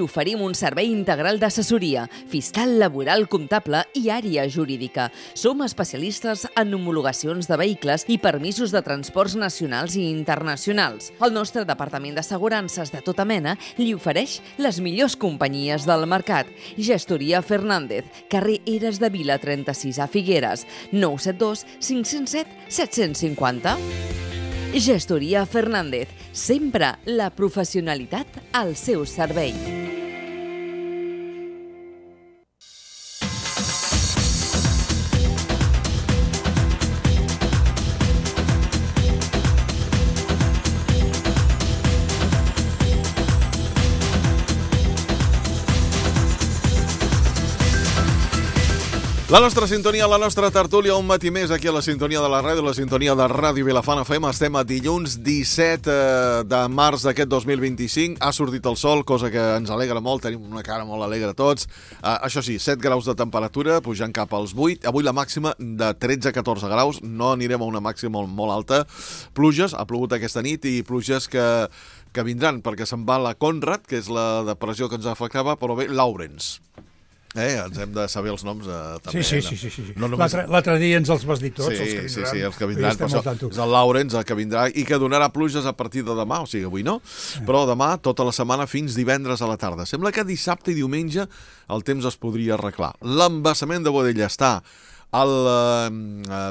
Oferim un servei integral d'assessoria, fiscal, laboral, comptable i àrea jurídica. Som especialistes en homologacions de vehicles i permisos de transports nacionals i internacionals. El nostre departament d'assegurances de tota mena li ofereix les millors companyies del mercat. Gestoria Fernández, carrer Eres de Vila 36 a Figueres, 972 507 750. Gestoria Fernández, sempre la professionalitat al seu servei. La nostra sintonia, la nostra tertúlia, un matí més aquí a la sintonia de la ràdio, la sintonia de Ràdio Vilafant FM. Estem a dilluns 17 de març d'aquest 2025. Ha sortit el sol, cosa que ens alegra molt, tenim una cara molt alegre tots. Això sí, 7 graus de temperatura, pujant cap als 8. Avui la màxima de 13-14 graus, no anirem a una màxima molt alta. Pluges, ha plogut aquesta nit i pluges que vindran, perquè se'n va la Conrad, que és la depressió que ens afectava, però bé, Lawrence. Ens hem de saber els noms també. Sí. No només... L'altre dia ens els vas dir tots, els que vindran. Sí, els que vindran. És el Lawrence el que vindrà i que donarà pluges a partir de demà, o sigui, avui no, però demà tota la setmana fins divendres a la tarda. Sembla que dissabte i diumenge el temps es podria arreglar. L'embassament de Boadella està al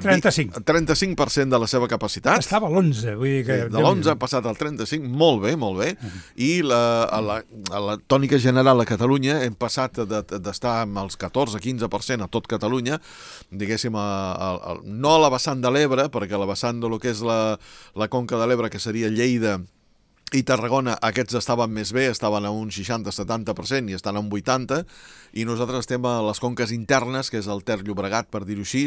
35% de la seva capacitat. Estava a l'11, vull dir que... De l'11 ha passat al 35, molt bé. I la tònica general a Catalunya hem passat d'estar amb els 14-15% a tot Catalunya, diguéssim, no a la vessant de l'Ebre, perquè la vessant de lo que és la conca de l'Ebre, que seria Lleida i Tarragona, aquests estaven més bé, estaven a un 60-70% i estan a un 80%, i nosaltres estem a les conques internes, que és el Ter Llobregat, per dir-ho així,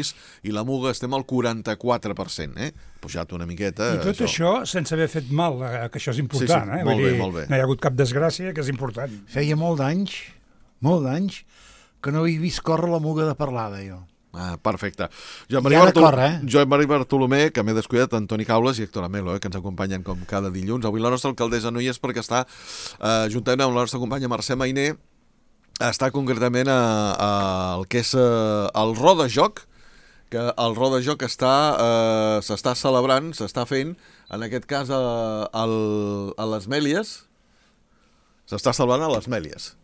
i la Muga estem al 44%, pujat una miqueta. I tot això sense haver fet mal, que això és important, sí, molt bé. No hi ha hagut cap desgràcia, que és important. Feia molts anys, que no havia vist córrer la Muga de Parlada, jo. Perfecte. Joan Maria Bartolomé, que m'he descuidat, Antoni Caules i Héctor Amelo, que ens acompanyen com cada dilluns. Avui la nostra alcaldessa no hi és perquè està, juntament amb la nostra companya Mercè Mainer, està concretament al que és el Rodajoc, que el Rodajoc s'està celebrant, s'està fent, en aquest cas a les Mèlies, s'està celebrant a les Mèlies.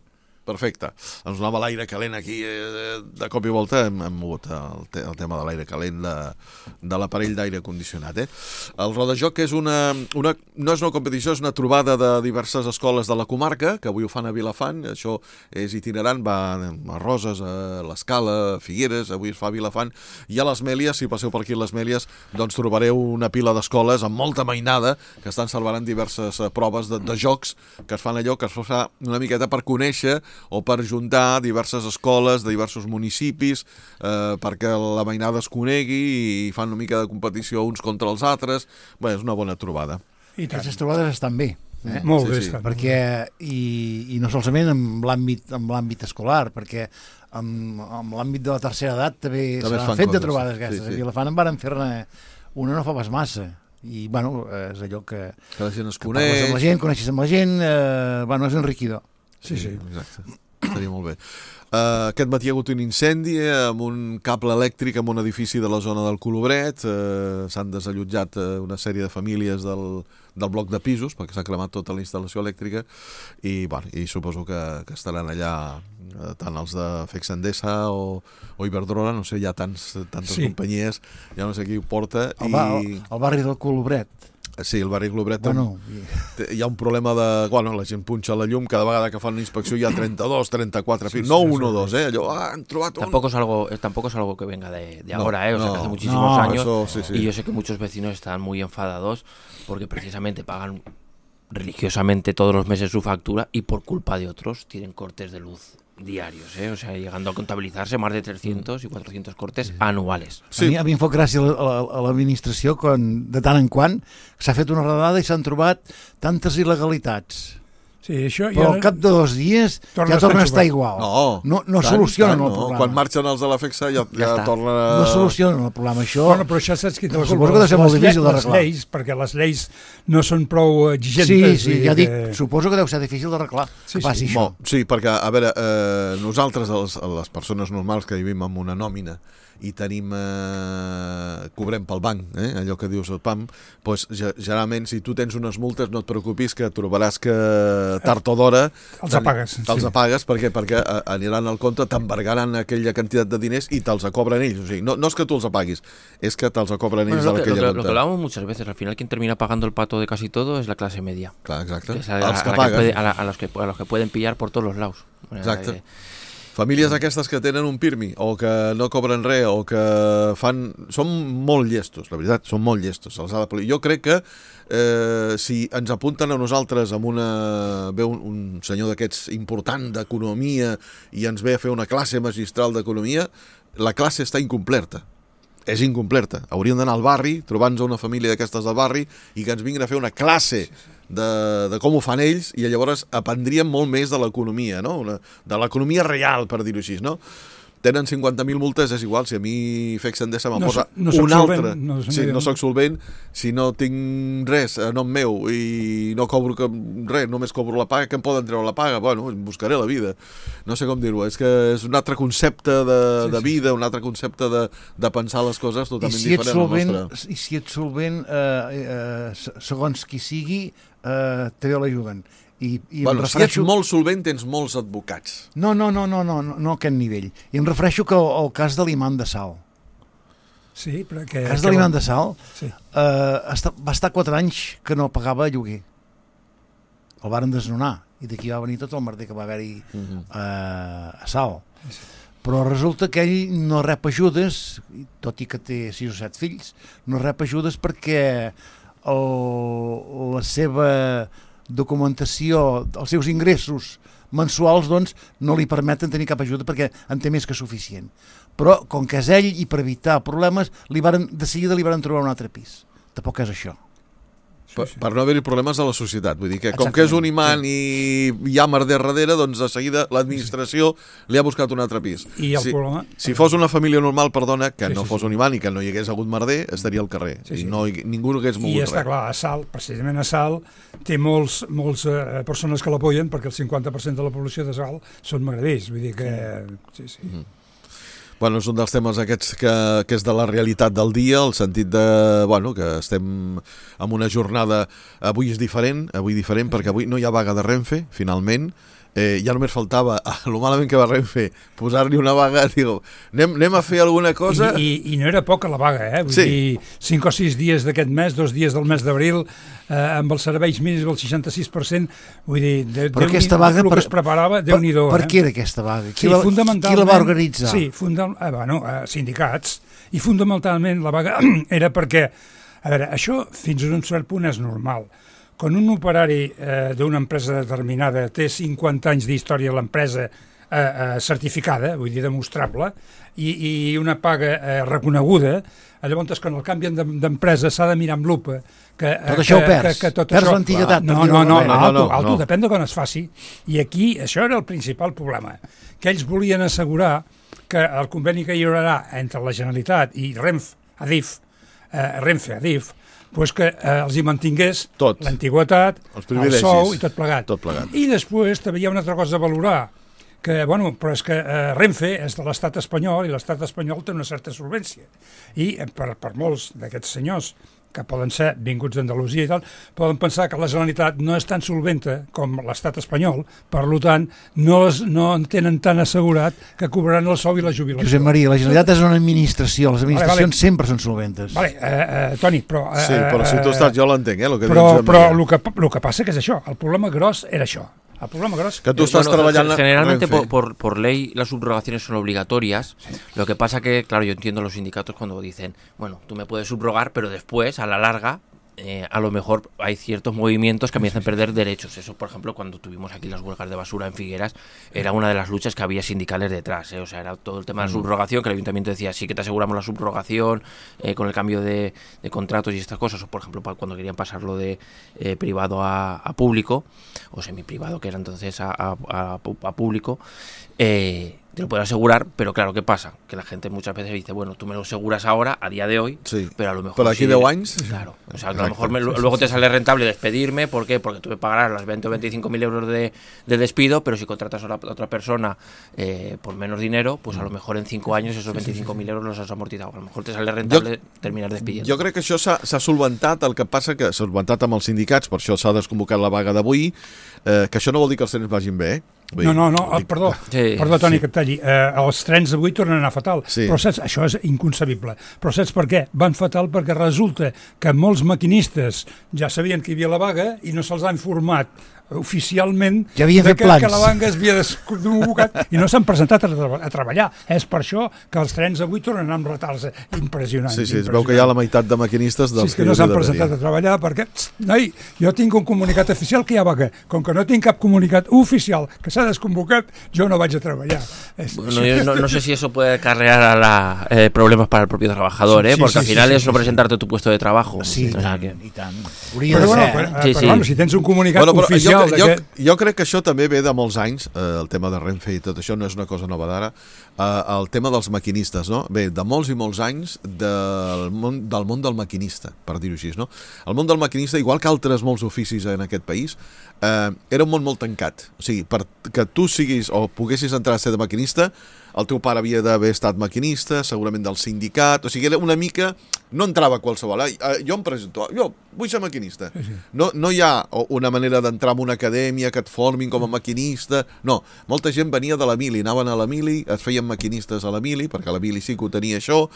Perfecte. Ens donava l'aire calent aquí, de cop i volta hem mogut el tema de l'aire calent de l'aparell d'aire condicionat. El Rodajoc és no és una competició, és una trobada de diverses escoles de la comarca, que avui ho fan a Vilafant, això és itinerant, va a Roses, a l'Escala, a Figueres, avui es fa a Vilafant, i a les Mèlies, si passeu per aquí a les Mèlies, doncs trobareu una pila d'escoles amb molta mainada, que estan celebrant diverses proves de jocs, que es fan allò, que es fa una miqueta per conèixer o per juntar diverses escoles de diversos municipis perquè la mainada es conegui i fan una mica de competició uns contra els altres. Bé, és una bona trobada. I aquestes trobades estan bé. Molt bé, perquè, i no solament amb l'àmbit escolar, perquè amb l'àmbit de la tercera edat també s'han fet de trobades aquestes. A Vilafant en varen fer-ne una no fa pas massa. I, bueno, és allò que la gent es coneix. Coneixes amb la gent, és enriquidor. Sí, exacte. Estaria molt bé. Aquest matí hi ha hagut un incendi amb un cable elèctric en un edifici de la zona del Colobret. S'han desallotjat una sèrie de famílies del bloc de pisos perquè s'ha cremat tota la instal·lació elèctrica i suposo que estaran allà tant els de Fex Endesa o Iberdrola, no sé, hi ha tantes companyies, ja no sé qui ho porta. El barri del Colobret. Sí, el barri Globret hi ha un problema de... la gent punxa la llum, cada vegada que fan una inspecció hi ha 32, 34 pisos, no 1 o 2, allò, han trobat un... Tampoco es algo que venga de ahora, o sea, que hace muchísimos años, y yo sé que muchos vecinos están muy enfadados porque precisamente pagan religiosamente todos los meses su factura y por culpa de otros tienen cortes de luz diarios, o sea, llegando a contabilizarse más de 300 y 400 cortes anuales. Sí. A mi em fa gràcia a l'administració quan, de tant en quant, s'ha fet una redada i s'han trobat tantes il·legalitats Sí, això però al cap de 2 dies ja torna a estar igual. No solucionen el problema. Quan marxen els de la FEXA ja tornen a... No solucionen el problema, això... Bueno, però això saps qui té la culpa? Suposo que deu ser molt difícil d'arreglar. Perquè les lleis no són prou exigents. Sí, ja dic, suposo que deu ser difícil d'arreglar que passi això. Sí, perquè, a veure, nosaltres, les persones normals que vivim amb una nòmina i tenim, cobrem pel banc, allò que dius el PAM, doncs generalment si tu tens unes multes no et preocupis que trobaràs que tard o d'hora els apagues. Te'ls apagues perquè aniran al compte, t'embargaran aquella quantitat de diners i te'ls cobren ells. O sigui, no és que tu els apaguis, és que te'ls cobren ells d'aquella quantitat. Lo que hablamos muchas veces, al final quien termina pagando el pato de casi todo es la clase media. Clar, exacte. Es els que paguen. A los que pueden pillar por todos los lados. Exacte. Famílies aquestes que tenen un PIRMI o que no cobren res o que fan... Són molt llestos, la veritat, són molt llestos. Jo crec que si ens apunten a nosaltres amb un senyor d'aquests important d'economia i ens ve a fer una classe magistral d'economia, la classe està incomplerta. És incomplerta. Hauríem d'anar al barri, trobar-nos una família d'aquestes del barri i que ens vinguin a fer una classe de com ho fan ells i llavors aprendríem molt més de l'economia, no? De l'economia real, per dir-ho així, no? Tenen 50.000 multes, és igual, si a mi FEX Endesa me'n posa una altra. No soc solvent, si no tinc res a nom meu i no cobro res, només cobro la paga, que em poden treure la paga? Bueno, buscaré la vida. No sé com dir-ho, és que és un altre concepte de vida, un altre concepte de pensar les coses totalment diferent al nostre. I si ets solvent, segons qui sigui, també l'ajuden. Bueno, si ets molt solvent tens molts advocats. No a aquest nivell. I em refereixo que el cas de l'imam de Salt. Sí, però que... El cas de l'imam de Salt va estar 4 anys que no pagava lloguer. El varen desnonar i d'aquí va venir tot el merder que va haver-hi a Salt. Però resulta que ell no rep ajudes, tot i que té 6 o 7 fills, no rep ajudes perquè la seva documentació, els seus ingressos mensuals, doncs, no li permeten tenir cap ajuda perquè en té més que suficient. Però, com que és ell, i per evitar problemes, de seguida li van trobar un altre pis. Tampoc és això. Per no haver-hi problemes a la societat. Vull dir que com que és un imant i hi ha merder darrere, doncs de seguida l'administració li ha buscat un altre pis. I el problema... Si fos una família normal, perdona, que no fos un imant i que no hi hagués hagut merder, estaria al carrer. I ningú hagués mogut res. I està clar, a Salt, precisament a Salt, té molts persones que l'apoyen perquè el 50% de la població de Salt són magrebers. Vull dir que... Bueno, és un dels temes aquests que és de la realitat del dia, el sentit de, que estem en una jornada, avui és diferent perquè avui no hi ha vaga de Renfe, finalment, ja només faltava, lo malament que va Renfe, posar-li una vaga, digo, anem a fer alguna cosa... I no era poca la vaga, Vull dir, 5 o 6 dies d'aquest mes, 2 dies del mes d'abril, amb els serveis mínims del 66%, vull dir, però aquesta vaga, el que es preparava, Déu-n'hi-do. Per què era aquesta vaga? Qui la va organitzar? Sí, sindicats, i fundamentalment la vaga era perquè, a veure, això fins a un cert punt és normal. Quan un operari d'una empresa determinada té 50 anys d'història a l'empresa certificada, vull dir, demostrable, i una paga reconeguda, llavors quan el canvien d'empresa s'ha de mirar amb lupa tot això ho perds, perds l'antiguitat. No, depèn de quan es faci. I aquí això era el principal problema, que ells volien assegurar que el conveni que hi haurà entre la Generalitat i Renfe, Adif, pues que els hi mantingués l'antiguitat, el sou i tot plegat. I després també hi ha una altra cosa a valorar, que, però és que Renfe és de l'estat espanyol i l'estat espanyol té una certa solvència. I per molts d'aquests senyors que poden ser vinguts d'Andalusia i tal, poden pensar que la Generalitat no és tan solventa com l'estat espanyol, per tant, no en tenen tan assegurat que cobraran el sou i la jubilació. Josep Maria, la Generalitat és una administració, les administracions sempre són solventes. Toni, però... Sí, però si tu estàs, jo l'entenc, Però el que passa que és això, el problema gros era això. El problema gros... Que tú estás trabajando... Generalmente por ley las subrogaciones son obligatorias. Sí. Lo que pasa que, claro, yo entiendo los sindicatos cuando dicen, bueno, tú me puedes subrogar, pero después, a la larga, a lo mejor hay ciertos movimientos que me hacen perder derechos. Eso, por ejemplo, cuando tuvimos aquí las huelgas de basura en Figueras, era una de las luchas que había sindicales detrás, o sea, era todo el tema de la subrogación, que el ayuntamiento decía, sí que te aseguramos la subrogación con el cambio de contratos y estas cosas, o por ejemplo, cuando querían pasarlo de privado a público, o semiprivado, que era entonces a público, te lo puedo asegurar, pero claro, ¿qué pasa? Que la gente muchas veces dice, bueno, tú me lo aseguras ahora, a día de hoy, pero a lo mejor... Pero aquí 10 años... Claro, o sea, que a lo mejor luego te sale rentable despedirme, ¿por qué? Porque tú me pagarás las 20 o 25.000 euros de despido, pero si contratas a otra persona por menos dinero, pues a lo mejor en 5 años esos 25.000 euros los has amortizado. A lo mejor te sale rentable terminar despidiendo. Jo crec que això s'ha solventat, el que passa que s'ha solventat amb els sindicats, per això s'ha desconvocat la vaga d'avui, que això no vol dir que els trens vagin bé, No, perdó, Toni, que et talli. Els trens avui tornen a anar fatal, però saps, això és inconcebible. Però saps per què? Van fatal perquè resulta que molts maquinistes ja sabien que hi havia la vaga i no se'ls ha informat oficialment que la vaga es havia desconvocat i no s'han presentat a treballar. És per això que els trens avui tornen amb retards impressionants. Sí, es veu que hi ha la meitat de maquinistes dels que no s'han presentat a treballar perquè, noi, jo tinc un comunicat oficial que hi ha vaga. Com que no tinc cap comunicat oficial que s'ha desconvocat, jo no vaig a treballar. Bueno, yo no sé si eso puede acarrear problemas para el propio trabajador, porque al final es no presentarte tu puesto de trabajo. Sí, o sea que... i tant. Però bueno, si tens un comunicat oficial... Jo crec que això també ve de molts anys, el tema de Renfe i tot això no és una cosa nova d'ara, el tema dels maquinistes, no? Ve de molts i molts anys del món del maquinista, per dir-ho així, no? El món del maquinista, igual que altres molts oficis en aquest país, era un món molt tancat. O sigui, perquè tu siguis o poguessis entrar a ser de maquinista, el teu pare havia d'haver estat maquinista, segurament del sindicat, o sigui, era una mica... No entrava qualsevol. Jo em presento, jo vull ser maquinista. No hi ha una manera d'entrar en una acadèmia que et formin com a maquinista. No, molta gent venia de la mili, anaven a la mili, es feien maquinistes a la mili, perquè la mili sí que ho tenia això,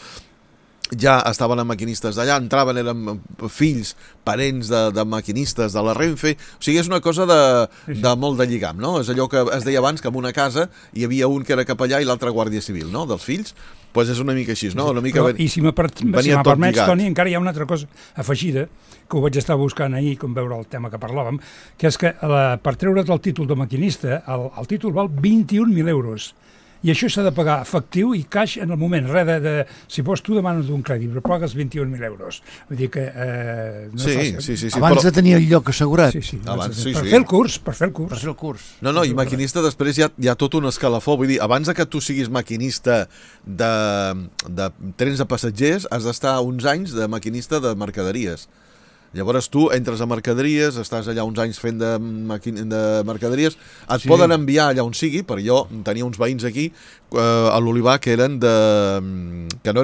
ja estaven amb maquinistes d'allà, entraven, eren fills, parents de maquinistes de la Renfe, o sigui, és una cosa de molt de lligam, no? És allò que es deia abans, que en una casa hi havia un que era capellà i l'altre guàrdia civil, no?, dels fills, doncs és una mica així, no? Una mica I si me permets, Toni, encara hi ha una altra cosa afegida, que ho vaig estar buscant ahir, com veure el tema que parlàvem, que és que per treure't el títol de maquinista, el títol val 21.000 euros. I això s'ha de pagar efectiu i caix en el moment. Si vols, tu demanes un crèdit, però pagues 21.000 euros. Vull dir que... Sí. Abans de tenir el lloc assegurat. Per fer el curs. No, i maquinista després hi ha tot un escalafó. Vull dir, abans que tu siguis maquinista de trens de passatgers, has d'estar uns anys de maquinista de mercaderies. Llavors tu entres a mercaderies, estàs allà uns anys fent de mercaderies, et poden enviar allà on sigui, perquè jo tenia uns veïns aquí a l'Olivar que no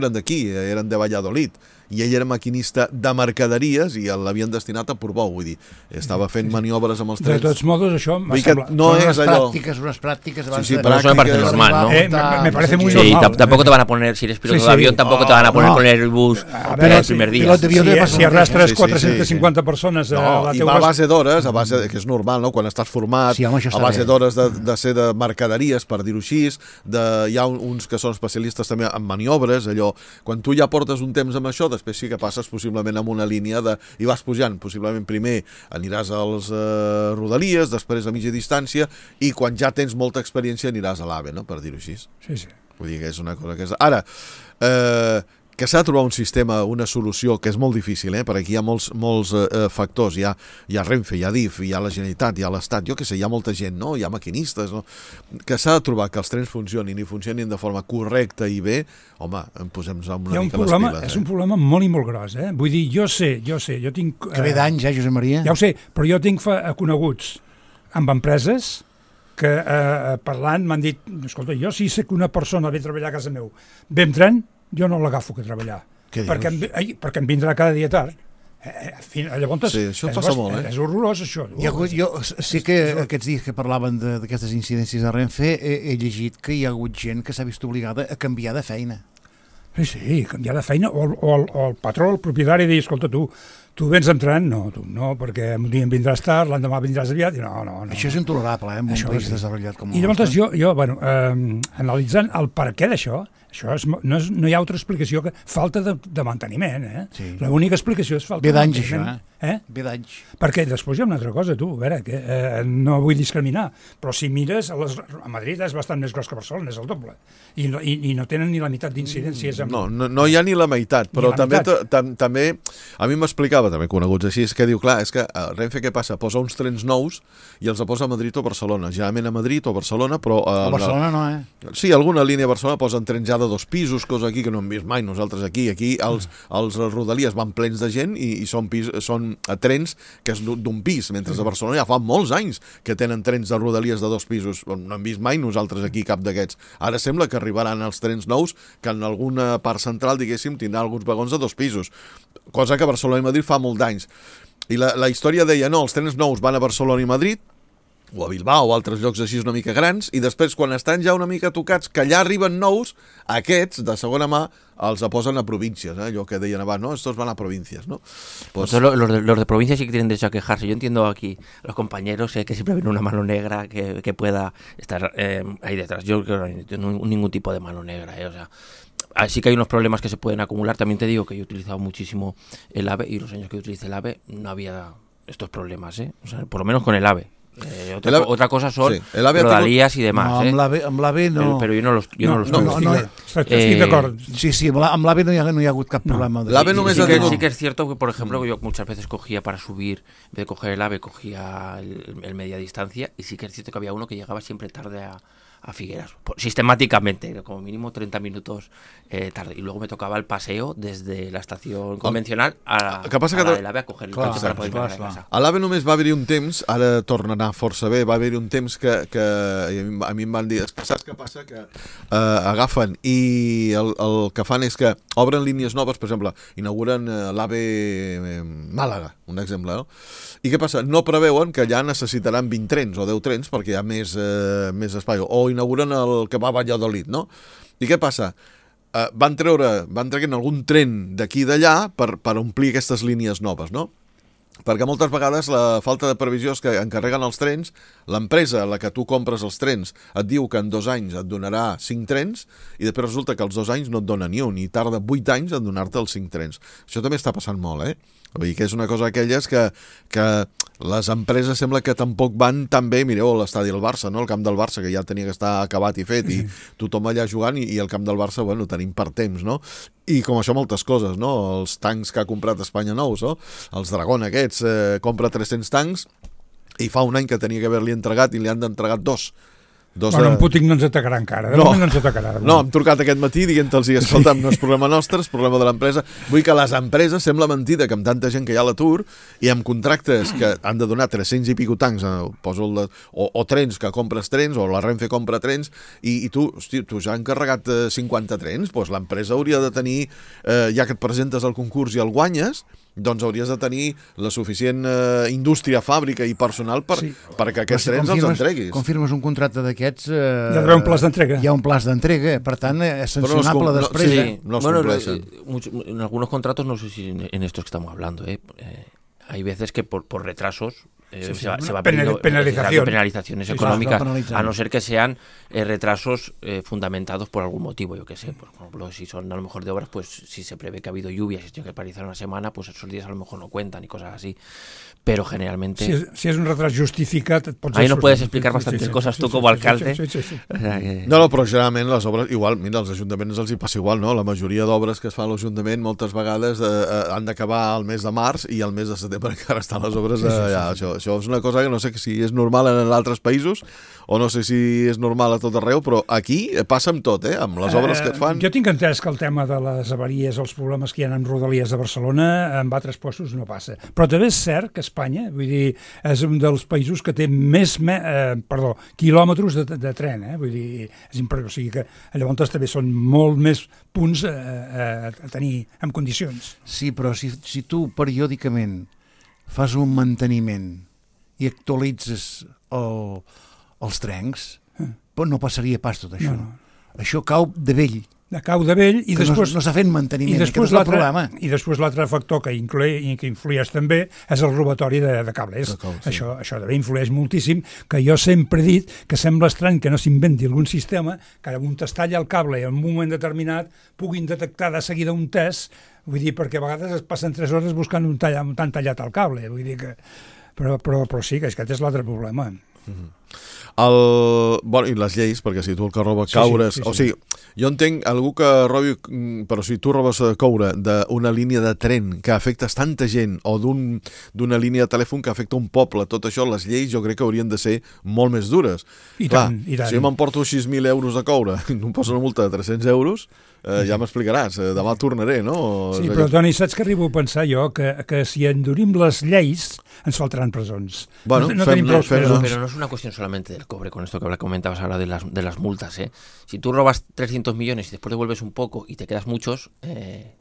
eren d'aquí, eren de Valladolid, i ell era maquinista de mercaderies i l'havien destinat a Portbou, vull dir, estava fent maniobres amb els trens. De tots modos, això m'ha semblat... No és allò... Unas prácticas... Sí, pero eso me parece normal, ¿no? Me parece muy normal. Tampoco te van a poner, si eres piloto de avión, tampoco te van a poner con el bus el primer día. Si arrastres 450 persones a la teua... I va a base d'hores, que és normal, no?, quan estàs format, a base d'hores de ser de mercaderies, per dir-ho així, hi ha uns que són especialistes també en maniobres, allò, quan tu ja portes un temps amb això, després sí que passes possiblement amb una línia i vas pujant, possiblement primer aniràs als Rodalies, després a mitja distància, i quan ja tens molta experiència aniràs a l'AVE, no?, per dir-ho així. Sí. Vull dir que és una cosa que és... Ara, que s'ha de trobar un sistema, una solució, que és molt difícil, perquè aquí hi ha molts factors, hi ha Renfe, hi ha DIF, hi ha la Generalitat, hi ha l'Estat, jo què sé, hi ha molta gent, no?, hi ha maquinistes, no?, que s'ha de trobar que els trens funcionin i funcionin de forma correcta i bé, home, posem-nos una mica les piles. És un problema molt i molt gros, Vull dir, jo sé, jo tinc... Que ve d'anys, Josep Maria? Ja ho sé, però jo tinc coneguts amb empreses que parlant m'han dit, escolta, jo si sé que una persona ve a treballar a casa meu, ve amb tren, jo no l'agafo que treballar, perquè em vindrà cada dia tard. Llavors, sí, això passa molt, és horrorós, això. Jo sí que aquests dies que parlaven d'aquestes incidències de Renfe he llegit que hi ha hagut gent que s'ha vist obligada a canviar de feina. Sí, canviar de feina, o el patró, el propietari, dir, escolta, tu Tu vens entrant? No, tu no, perquè un dia em vindràs tard, l'endemà vindràs aviat, i no. Això és intolerable, en un país desenvolupat com el nostre. I llavors jo analitzant el per què d'això, no hi ha altra explicació que falta de manteniment, Sí. L'única explicació és falta de manteniment. Ve d'anys, això, Ve d'anys. Perquè després hi ha una altra cosa, tu, a veure, que no vull discriminar, però si mires, a Madrid és bastant més gros que Barcelona, és el doble, i no tenen ni la meitat d'incidències. No hi ha ni la meitat, però també, a mi m'explicava, també coneguts així, és que diu, clar, és que Renfe què passa? Posa uns trens nous i els posa a Madrid o Barcelona, generalment a Madrid o Barcelona, però... A Barcelona no, Sí, alguna línia a Barcelona posen trens ja de 2 pisos, cosa aquí que no hem vist mai nosaltres aquí els Rodalies van plens de gent i són trens que és d'un pis, mentre a Barcelona ja fa molts anys que tenen trens de Rodalies de 2 pisos, no hem vist mai nosaltres aquí cap d'aquests. Ara sembla que arribaran els trens nous que en alguna part central, diguéssim, tindrà alguns vagons de 2 pisos, cosa que a Barcelona i Madrid fa molt d'anys. I la història deia, no, els trens nous van a Barcelona i Madrid, o a Bilbao o altres llocs així una mica grans, i després quan estan ja una mica tocats, que ja arriben nous, aquests de segona mà els posen a províncies, allò que deien abans, no, estos van a provincias, ¿no? Pues... Los de provincias sí que tienen derecho a quejarse. Yo entiendo aquí los compañeros que siempre ven una mano negra que pueda estar ahí detrás. Yo creo que no hay ningún tipo de mano negra, o sea... Así que hay unos problemas que se pueden acumular. También te digo que yo he utilizado muchísimo el AVE y los años que utilicé el AVE no había estos problemas, o sea, por lo menos con el AVE. Otra cosa son Rodalies i demás. No, amb l'AVE no. Però jo no los Estic d'acord. Sí, amb l'AVE no hi ha hagut cap problema. Sí que es cierto que, por ejemplo, yo muchas veces cogía para subir, en vez de coger el AVE, cogía el media distancia, y sí que es cierto que había uno que llegaba siempre tarde a Figueras, sistemáticamente, como mínimo 30 minutos tarde, y luego me tocaba el paseo desde la estación convencional a l'AVE a coger el cotxe per poder anar a casa. A l'AVE només va haver-hi un temps, ara torna a anar força bé, va haver-hi un temps que a mi em van dir, saps què passa? Que agafen i el que fan és que obren línies noves, per exemple, inauguren l'AVE Màlaga, un exemple, no? I què passa? No preveuen que allà necessitaran 20 trens o 10 trens perquè hi ha més espai, o inauguren el que va a Valladolid, no? I què passa? Van treure algun tren d'aquí i d'allà per omplir aquestes línies noves, no? Perquè moltes vegades la falta de previsió és que encarreguen els trens, l'empresa a la que tu compres els trens et diu que en 2 anys et donarà 5 trens i després resulta que els 2 anys no et dona ni un i tarda 8 anys en donar-te els 5 trens. Això també està passant molt, Vull dir que és una cosa d'aquelles que les empreses sembla que tampoc van tan bé. Mireu l'estadi del Barça, no? El camp del Barça, que ja tenia que estar acabat i fet, i tothom allà jugant, i el camp del Barça, bueno, tenim per temps, no? I com això moltes coses, no? Els tancs que ha comprat Espanya nous, no? Els Dragón aquests, compra 300 tancs i fa un any que tenia que haver-li entregat i li han entregat 2. Bueno, en Putin no ens atacarà encara. No ens atacarà. No, hem trucat aquest matí dient-los, escolta'm, no és problema nostre, és problema de l'empresa. Vull que les empreses, sembla mentida que amb tanta gent que hi ha a l'atur i amb contractes que han de donar 300 i pico tancs, o trens, que compres trens, o la Renfe compra trens, i tu ja has encarregat 50 trens, doncs l'empresa hauria de tenir, ja que et presentes al concurs i el guanyes, doncs hauries de tenir la suficient indústria, fàbrica i personal perquè aquests trens els entreguis. Quan firmes un contracte d'aquests... Hi ha d'haver un plaç d'entrega. Hi ha un plaç d'entrega, per tant, és sancionable després. Sí, no es compleixen. En algunos contratos, no sé si en estos que estamos hablando, hay veces que por retrasos se va pidiendo penalizaciones económicas, a no ser que sean retrasos fundamentados por algún motivo, yo que sé, por ejemplo, si son a lo mejor de obras, pues si se prevé que ha habido lluvias y se tiene que paralizar una semana, pues esos días a lo mejor no cuentan y cosas así, pero generalmente... Si es un retraso justificat... Ahí nos puedes explicar bastantes cosas tú como alcalde. No, però generalment les obres, igual, mira, als ajuntaments els hi passa igual, no? La majoria d'obres que es fan a l'Ajuntament moltes vegades han d'acabar al mes de març i al mes de setembre encara estan les obres allà. Això és una cosa que no sé si és normal en altres països o no sé si és normal a tot arreu, però aquí passa amb tot, amb les obres que es fan. Jo tinc entès que el tema de les avaries, els problemes que hi ha amb Rodalies de Barcelona, en altres postos no passa. Però també és cert que Espanya, vull dir, és un dels països que té més quilòmetres de tren, vull dir, és impressionant, o sigui que llavors també són molt més punts a tenir en condicions. Sí, però si tu periòdicament fas un manteniment i actualitzes els trens, no passaria pas tot això. No. Això cau de vell. cau de vell i després... No s'ha fet manteniment, aquest és el problema. I després l'altre factor que influeix també és el robatori de cables. Això també influeix moltíssim, que jo sempre he dit que sembla estrany que no s'inventi algun sistema que on es talla el cable i en un moment determinat puguin detectar de seguida un test, vull dir, perquè a vegades es passen 3 hores buscant on han tallat el cable, vull dir que... Però sí, que aquest és l'altre problema. I les lleis, perquè si tu el que roba caures... O sigui, jo entenc algú que robi... Però si tu robes coure d'una línia de tren que afectes tanta gent o d'una línia de telèfon que afecta un poble, tot això, les lleis jo crec que haurien de ser molt més dures. I tant. Si jo m'emporto 6.000 euros de coure i em poso una multa de 300 euros... ja m'explicaràs, demà tornaré, no? Sí, però Toni, saps que arribo a pensar jo que si endurim les lleis ens faltaran presons. Bueno, no tenim prou presons. Pero no es una cuestión solamente del cobre, con esto que comentabas ahora de las multas, ¿eh? Si tú robas 300 millones y después devuelves un poco y te quedas muchos,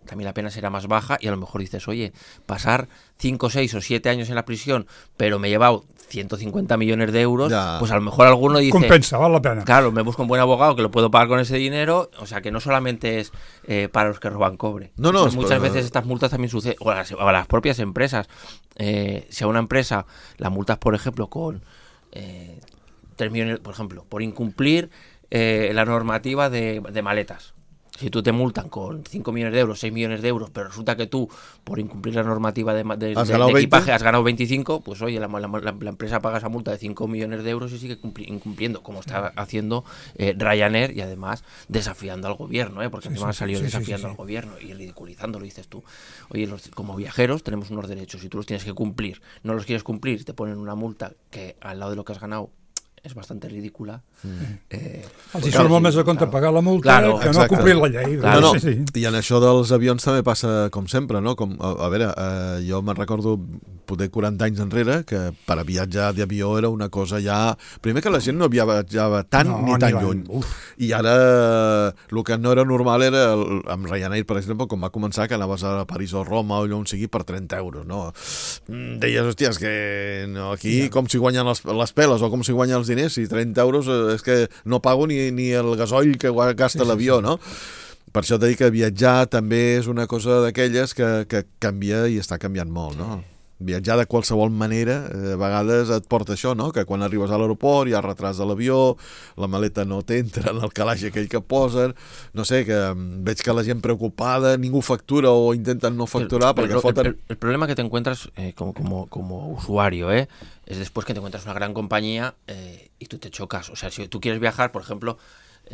también la pena será más baja y a lo mejor dices, oye, pasar 5, 6 o 7 años en la prisión, pero me he llevado 150 millones de euros, ya. Pues a lo mejor alguno dice... Compensa, vale la pena. Claro, me busco un buen abogado que lo puedo pagar con ese dinero, o sea que no solamente es para los que roban cobre. No, pues muchas veces estas multas también suceden, o a las propias empresas. Si a una empresa la multas, por ejemplo, con 3 millones, por ejemplo, por incumplir la normativa de maletas. Si tú te multan con 5 millones de euros, 6 millones de euros, pero resulta que tú, por incumplir la normativa de equipaje, has ganado 25, pues oye, la empresa paga esa multa de 5 millones de euros y sigue incumpliendo, como está haciendo Ryanair, y además desafiando al gobierno, porque encima ha salido desafiando al gobierno y ridiculizándolo, dices tú. Oye, como viajeros tenemos unos derechos y tú los tienes que cumplir. No los quieres cumplir, te ponen una multa que al lado de lo que has ganado és bastant ridícula. Els hi surt molt més a compte pagar la multa que no complir la llei. I en això dels avions també passa com sempre, no? A veure, jo me'n recordo poder 40 anys enrere que per a viatjar d'avió era una cosa ja... Primer que la gent no viatjava tant ni tan lluny. I ara el que no era normal era, amb Ryanair, per exemple, com va començar, que anaves a París o Roma o allò on sigui per 30 euros, no? Deies, hòstia, és que aquí com s'hi guanyen les peles o com s'hi guanyen els diners, i 30 euros és que no pago ni el gasoll que gasta l'avió, no? Per això t'he dit que viatjar també és una cosa d'aquelles que canvia i està canviant molt, no? Viatjar de qualsevol manera, a vegades et porta això, no? Que quan arribes a l'aeroport hi ha retras de l'avió, la maleta no t'entra en el calaix aquell que posen, no sé, que veig que la gent preocupada, ningú factura o intenten no facturar perquè foten... El problema que te encuentras como usuario, es después que te encuentras una gran compañía y tú te chocas. O sea, si tú quieres viajar, por ejemplo,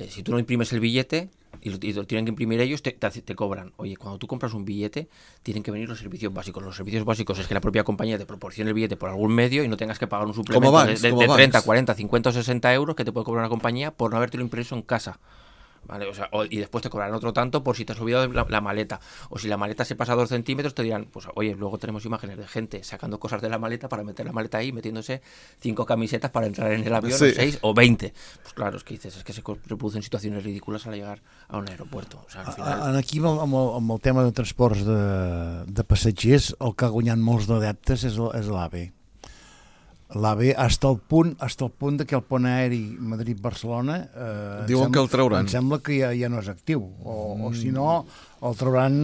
si tú no imprimes el billete y lo tienen que imprimir ellos, te cobran. Oye, cuando tú compras un billete, tienen que venir los servicios básicos. Los servicios básicos es que la propia compañía te proporcione el billete por algún medio y no tengas que pagar un suplemento de 30, 40, 50 o 60 euros que te puede cobrar una compañía por no habértelo impreso en casa. ¿Vale? O sea, y después te cobrarán otro tanto por si te has olvidado la maleta, o si la maleta se pasa 2 centímetros te dirán, pues oye, luego tenemos imágenes de gente sacando cosas de la maleta para meter la maleta ahí, metiéndose 5 camisetas para entrar en el avión, 6 o 20. Pues claro, es que dices, es que se reproducen situaciones ridículas al llegar a un aeropuerto. O sea, al final... Aquí amb el tema de transports de passatgers, el que ha guanyat molts d'adeptes és l'AVE. L'AVE hasta el punt que el pont aeri Madrid-Barcelona diuen que el trauran. Em sembla que ja no és actiu o si no el trauran,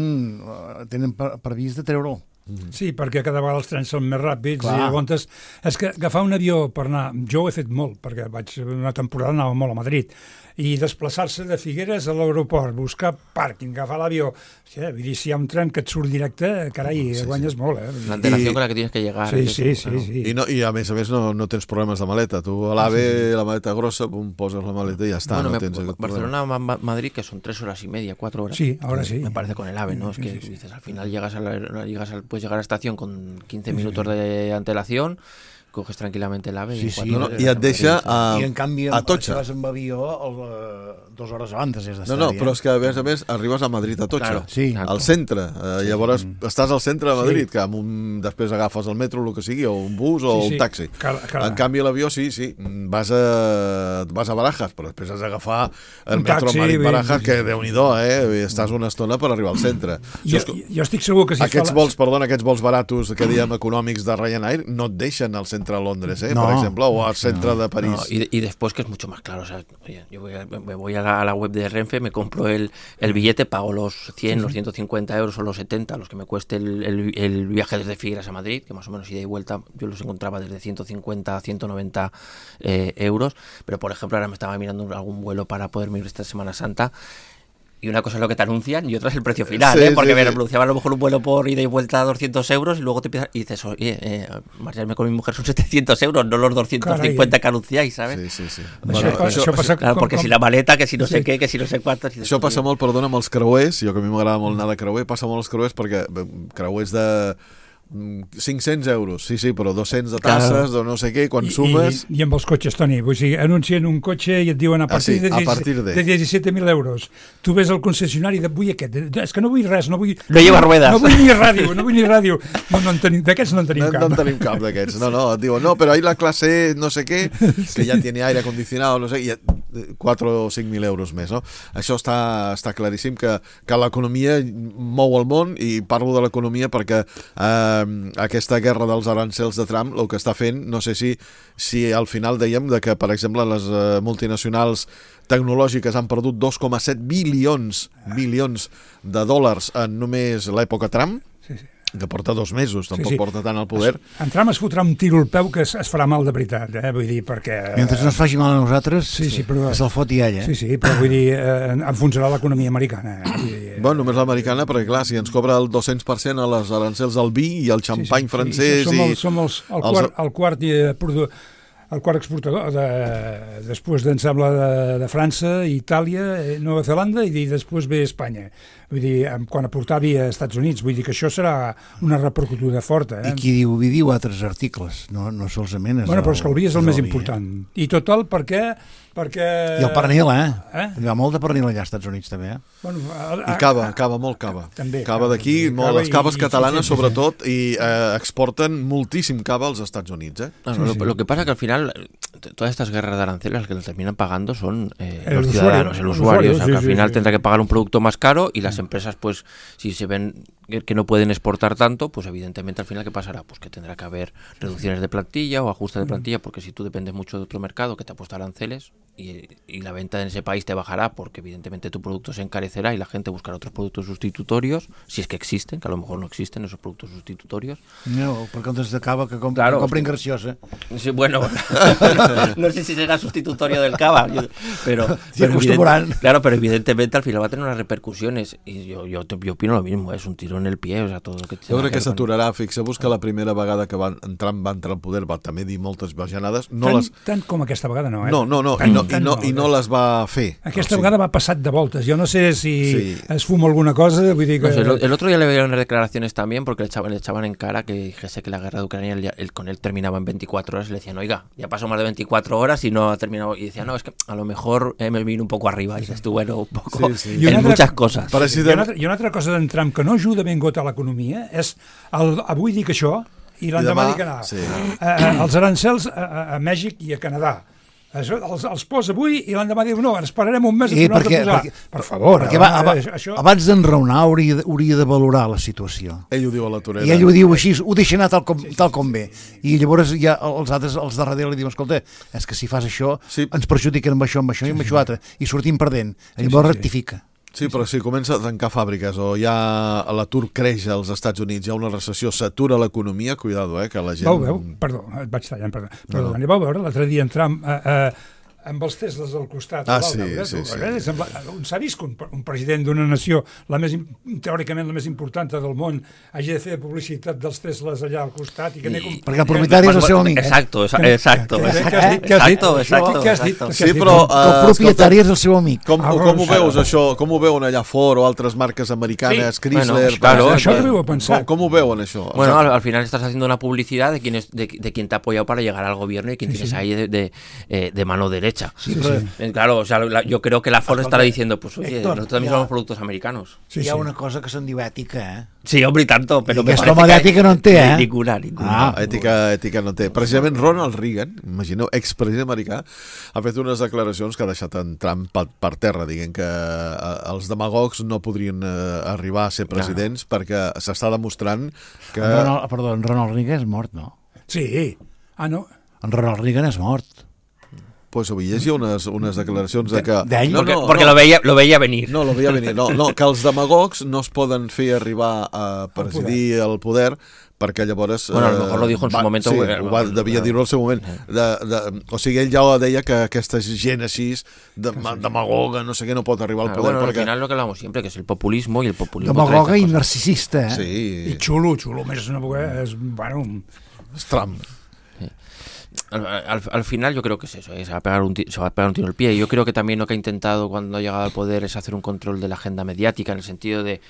tenen previst de treure'l. Sí, perquè cada vegada els trens són més ràpids. Clar. I llavors és que agafar un avió per anar, jo ho he fet molt perquè una temporada anava molt a Madrid, i desplaçar-se de Figueres a l'aeroport, buscar pàrquing, agafar l'avió, vull dir, si hi ha un tren que et surt directe, carai, guanyes molt, La antelació con la que tienes que llegar. Sí. I a més no tens problemes de maleta. Tu a l'AVE, la maleta grossa, poses la maleta i ja està. Bueno, no tens Barcelona-Madrid, que son 3 horas y media, 4 horas. Sí, ahora sí. Me parece con el AVE, ¿no? Es que dices, al final puedes llegar a la estación con 15 minutos de antelación, coges tranquil·lament l'AVE i et deixa a Totxa. I en canvi, si vas amb avió 2 hores abans has d'estar. No, però és que a més arribes a Madrid a Totxa, al centre. Llavors estàs al centre de Madrid, que després agafes el metro, el que sigui, o un bus o un taxi. En canvi l'avió sí, vas a Barajas, però després has d'agafar el metro Madrid-Barajas, que Déu-n'hi-do, estàs una estona per arribar al centre. Jo estic segur que si aquests vols baratos que diem econòmics de Ryanair no et deixen al centre centre a Londres, per exemple, o al centre de París. No, y después que es mucho más claro, o sea, oye, yo me voy a la web de Renfe, me compro el billete, pago los 100, los 150 euros o los 70, los que me cueste el viaje desde Figueras a Madrid, que más o menos ida y vuelta yo los encontraba desde 150 a 190 euros, pero por ejemplo ahora me estaba mirando algún vuelo para poderme ir esta Semana Santa. Y una cosa es lo que te anuncian y otra es el precio final, porque me anunciaban a lo mejor un vuelo por ida y vuelta a 200 euros y luego te empiezas y dices, oye, marcharme con mi mujer son 700 euros, no los 250 que anunciáis, ¿sabes? Sí. Això passa claro, porque si la maleta, que si no sé què, que si no sé quantos... Això passa molt, perdona, amb els creuers, jo que a mi m'agrada molt anar de creuer, passa molt els creuers perquè creuers de 500 euros, sí, però 200 de tasses, de no sé què, quan sumes... I amb els cotxes, Toni, vull dir, anuncien un cotxe i et diuen a partir de 17.000 euros. Tu ves al concessionari de vull aquest, és que no vull res, no lleva ruedas. No vull ni ràdio. D'aquests no en tenim cap. No en tenim cap d'aquests, no, et diuen, no, però ahí la classe no sé què, que ja tiene aire acondicionado, no sé, i 4 o 5.000 euros més, no? Això està claríssim que l'economia mou el món, i parlo de l'economia perquè aquesta guerra dels arancels de Trump el que està fent, no sé si al final dèiem que, per exemple, les multinacionals tecnològiques han perdut 2,7 bilions de dòlars en només l'època Trump, que porta 2 mesos, tampoc porta tant al poder. En Trump es fotrà un tiro al peu que es farà mal de veritat, vull dir, perquè... Mentre no es faci mal a nosaltres, però... se'l foti ell, Sí, però vull dir, enfonsarà l'economia americana. Bueno, només l'americana, perquè clar, si ens cobra el 200% a les arancels del vi i el xampany francès... Som el quart exportador, després em sembla de França, Itàlia, Nova Zelanda i després ve Espanya. Vull dir, quan aportavi a Estats Units, vull dir que això serà una repercutuda forta. I qui diu altres articles, no solament... Bueno, però és que el vi és el més important. I total, perquè... I el pernil, Hi ha molt de pernil allà als Estats Units, també, Bueno, i cava, molt cava. També. Cava d'aquí, les caves catalanes, sobretot, i exporten moltíssim cava als Estats Units, Lo que pasa que al final, todas estas guerras de aranceles, las que lo terminan pagando son los ciudadanos, el usuario. O sea, que al final tendrá que pagar un producto más caro y las empresas, pues, si se ven que no pueden exportar tanto, pues evidentemente al final ¿qué pasará? Pues que tendrá que haber reducciones de plantilla o ajustes de plantilla, porque si tú dependes mucho de otro mercado que te ha puesto aranceles y la venta en ese país te bajará, porque evidentemente tu producto se encarecerá y la gente buscará otros productos sustitutorios, si es que existen, que a lo mejor no existen esos productos sustitutorios. No, per comptes de cava que comprin graciosa. Sí, bueno, no sé si será sustitutorio del cava, pero claro, pero evidentemente al final va a tener unas repercusiones y yo opino lo mismo, es un tiro en el pie, o sea, todo lo que... Jo crec que s'aturarà, fixeu-vos que la primera vegada que Trump va entrar al poder va també dir moltes bajanades. Tant com aquesta vegada no, I no les va fer. Aquesta vegada va passat de voltes. Jo no sé si es fuma alguna cosa, vull dir que... No sé, el otro día le veía unas declaraciones también porque le echaban en cara que dijese que la guerra de Ucrania con él terminaba en 24 horas y le decían, oiga, ya pasó más de 24 horas y no ha terminado. Y decía, no, es que a lo mejor me vino un poco arriba. Y dices tú, bueno, un poco en muchas cosas. I una altra cosa d'en Trump que no ajuda ben got a l'economia és avui dic això i l'endemà dic anar. Els arancels a Mèxic i a Canadà. Els posa avui i l'endemà diu no, esperarem un mes a tornar a posar. Per favor. Perquè abans d'enraonar hauria de valorar la situació. Ell ho diu a la torera. I ell ho diu així, ho deixa anar tal com ve. I llavors ja els altres, els de darrere li diuen, escolta, és que si fas això ens perjudiquen amb això i amb això altre i sortim perdent. Llavors rectifica. Sí, però si comença a tancar fàbriques o ja l'atur creix als Estats Units, hi ha una recessió, s'atura l'economia, cuidado, que la gent... Perdó, et vaig tallant, perdó. Vau veure l'altre dia en Trump amb els Tesles al costat. Sí. S'ha vist que un president d'una nació, teòricament la més important del món, hagi de fer publicitat dels Tesles allà al costat. Perquè el propietari és el seu amic. Exacto. Què has dit? Sí, però... El propietari és el seu amic. Com ho veus, això? Com ho veuen allà Ford o altres marques americanes, Chrysler? Això que ho he pensat. Com ho veuen, això? Bueno, al final estás haciendo una publicidad de quien te ha apoyado para llegar al gobierno y quien tienes ahí de mano derecha. Sí. Claro, o sea, yo creo que la Ford estará diciendo, pues oye, Héctor, nosotros también somos productos americanos. Hi ha una cosa que se'n diu ètica, Sí, hombre, y tanto, però... Aquesta home d'ètica no en té, Ninguna. Ètica no té. Precisament Ronald Reagan, imagineu, expresident americà, ha fet unes declaracions que ha deixat en Trump per terra, dient que els demagogs no podrien arribar a ser presidents perquè s'està demostrant que... Perdó, en Ronald Reagan és mort, no? Sí. Ah, no? En Ronald Reagan és mort. Pues avui llegia unes declaracions de que... Porque lo veía venir. No, lo veía venir. No, que els demagogs no es poden fer arribar a presidir el poder perquè llavors... Bueno, a lo mejor lo dijo en su momento. Sí, devia dir-ho al seu moment. O sigui, ell ja deia que aquesta gent així, demagoga, no sé què, no pot arribar al poder. Bueno, al final lo que hablamos siempre, que es el populismo, y el populismo... Demagoga i narcisista, Sí. I xulo, més és, bueno... És Trump. Al final yo creo que es eso, se va a pegar un tiro en el pie. Yo creo que también lo que ha intentado cuando ha llegado al poder es hacer un control de la agenda mediática, en el sentido de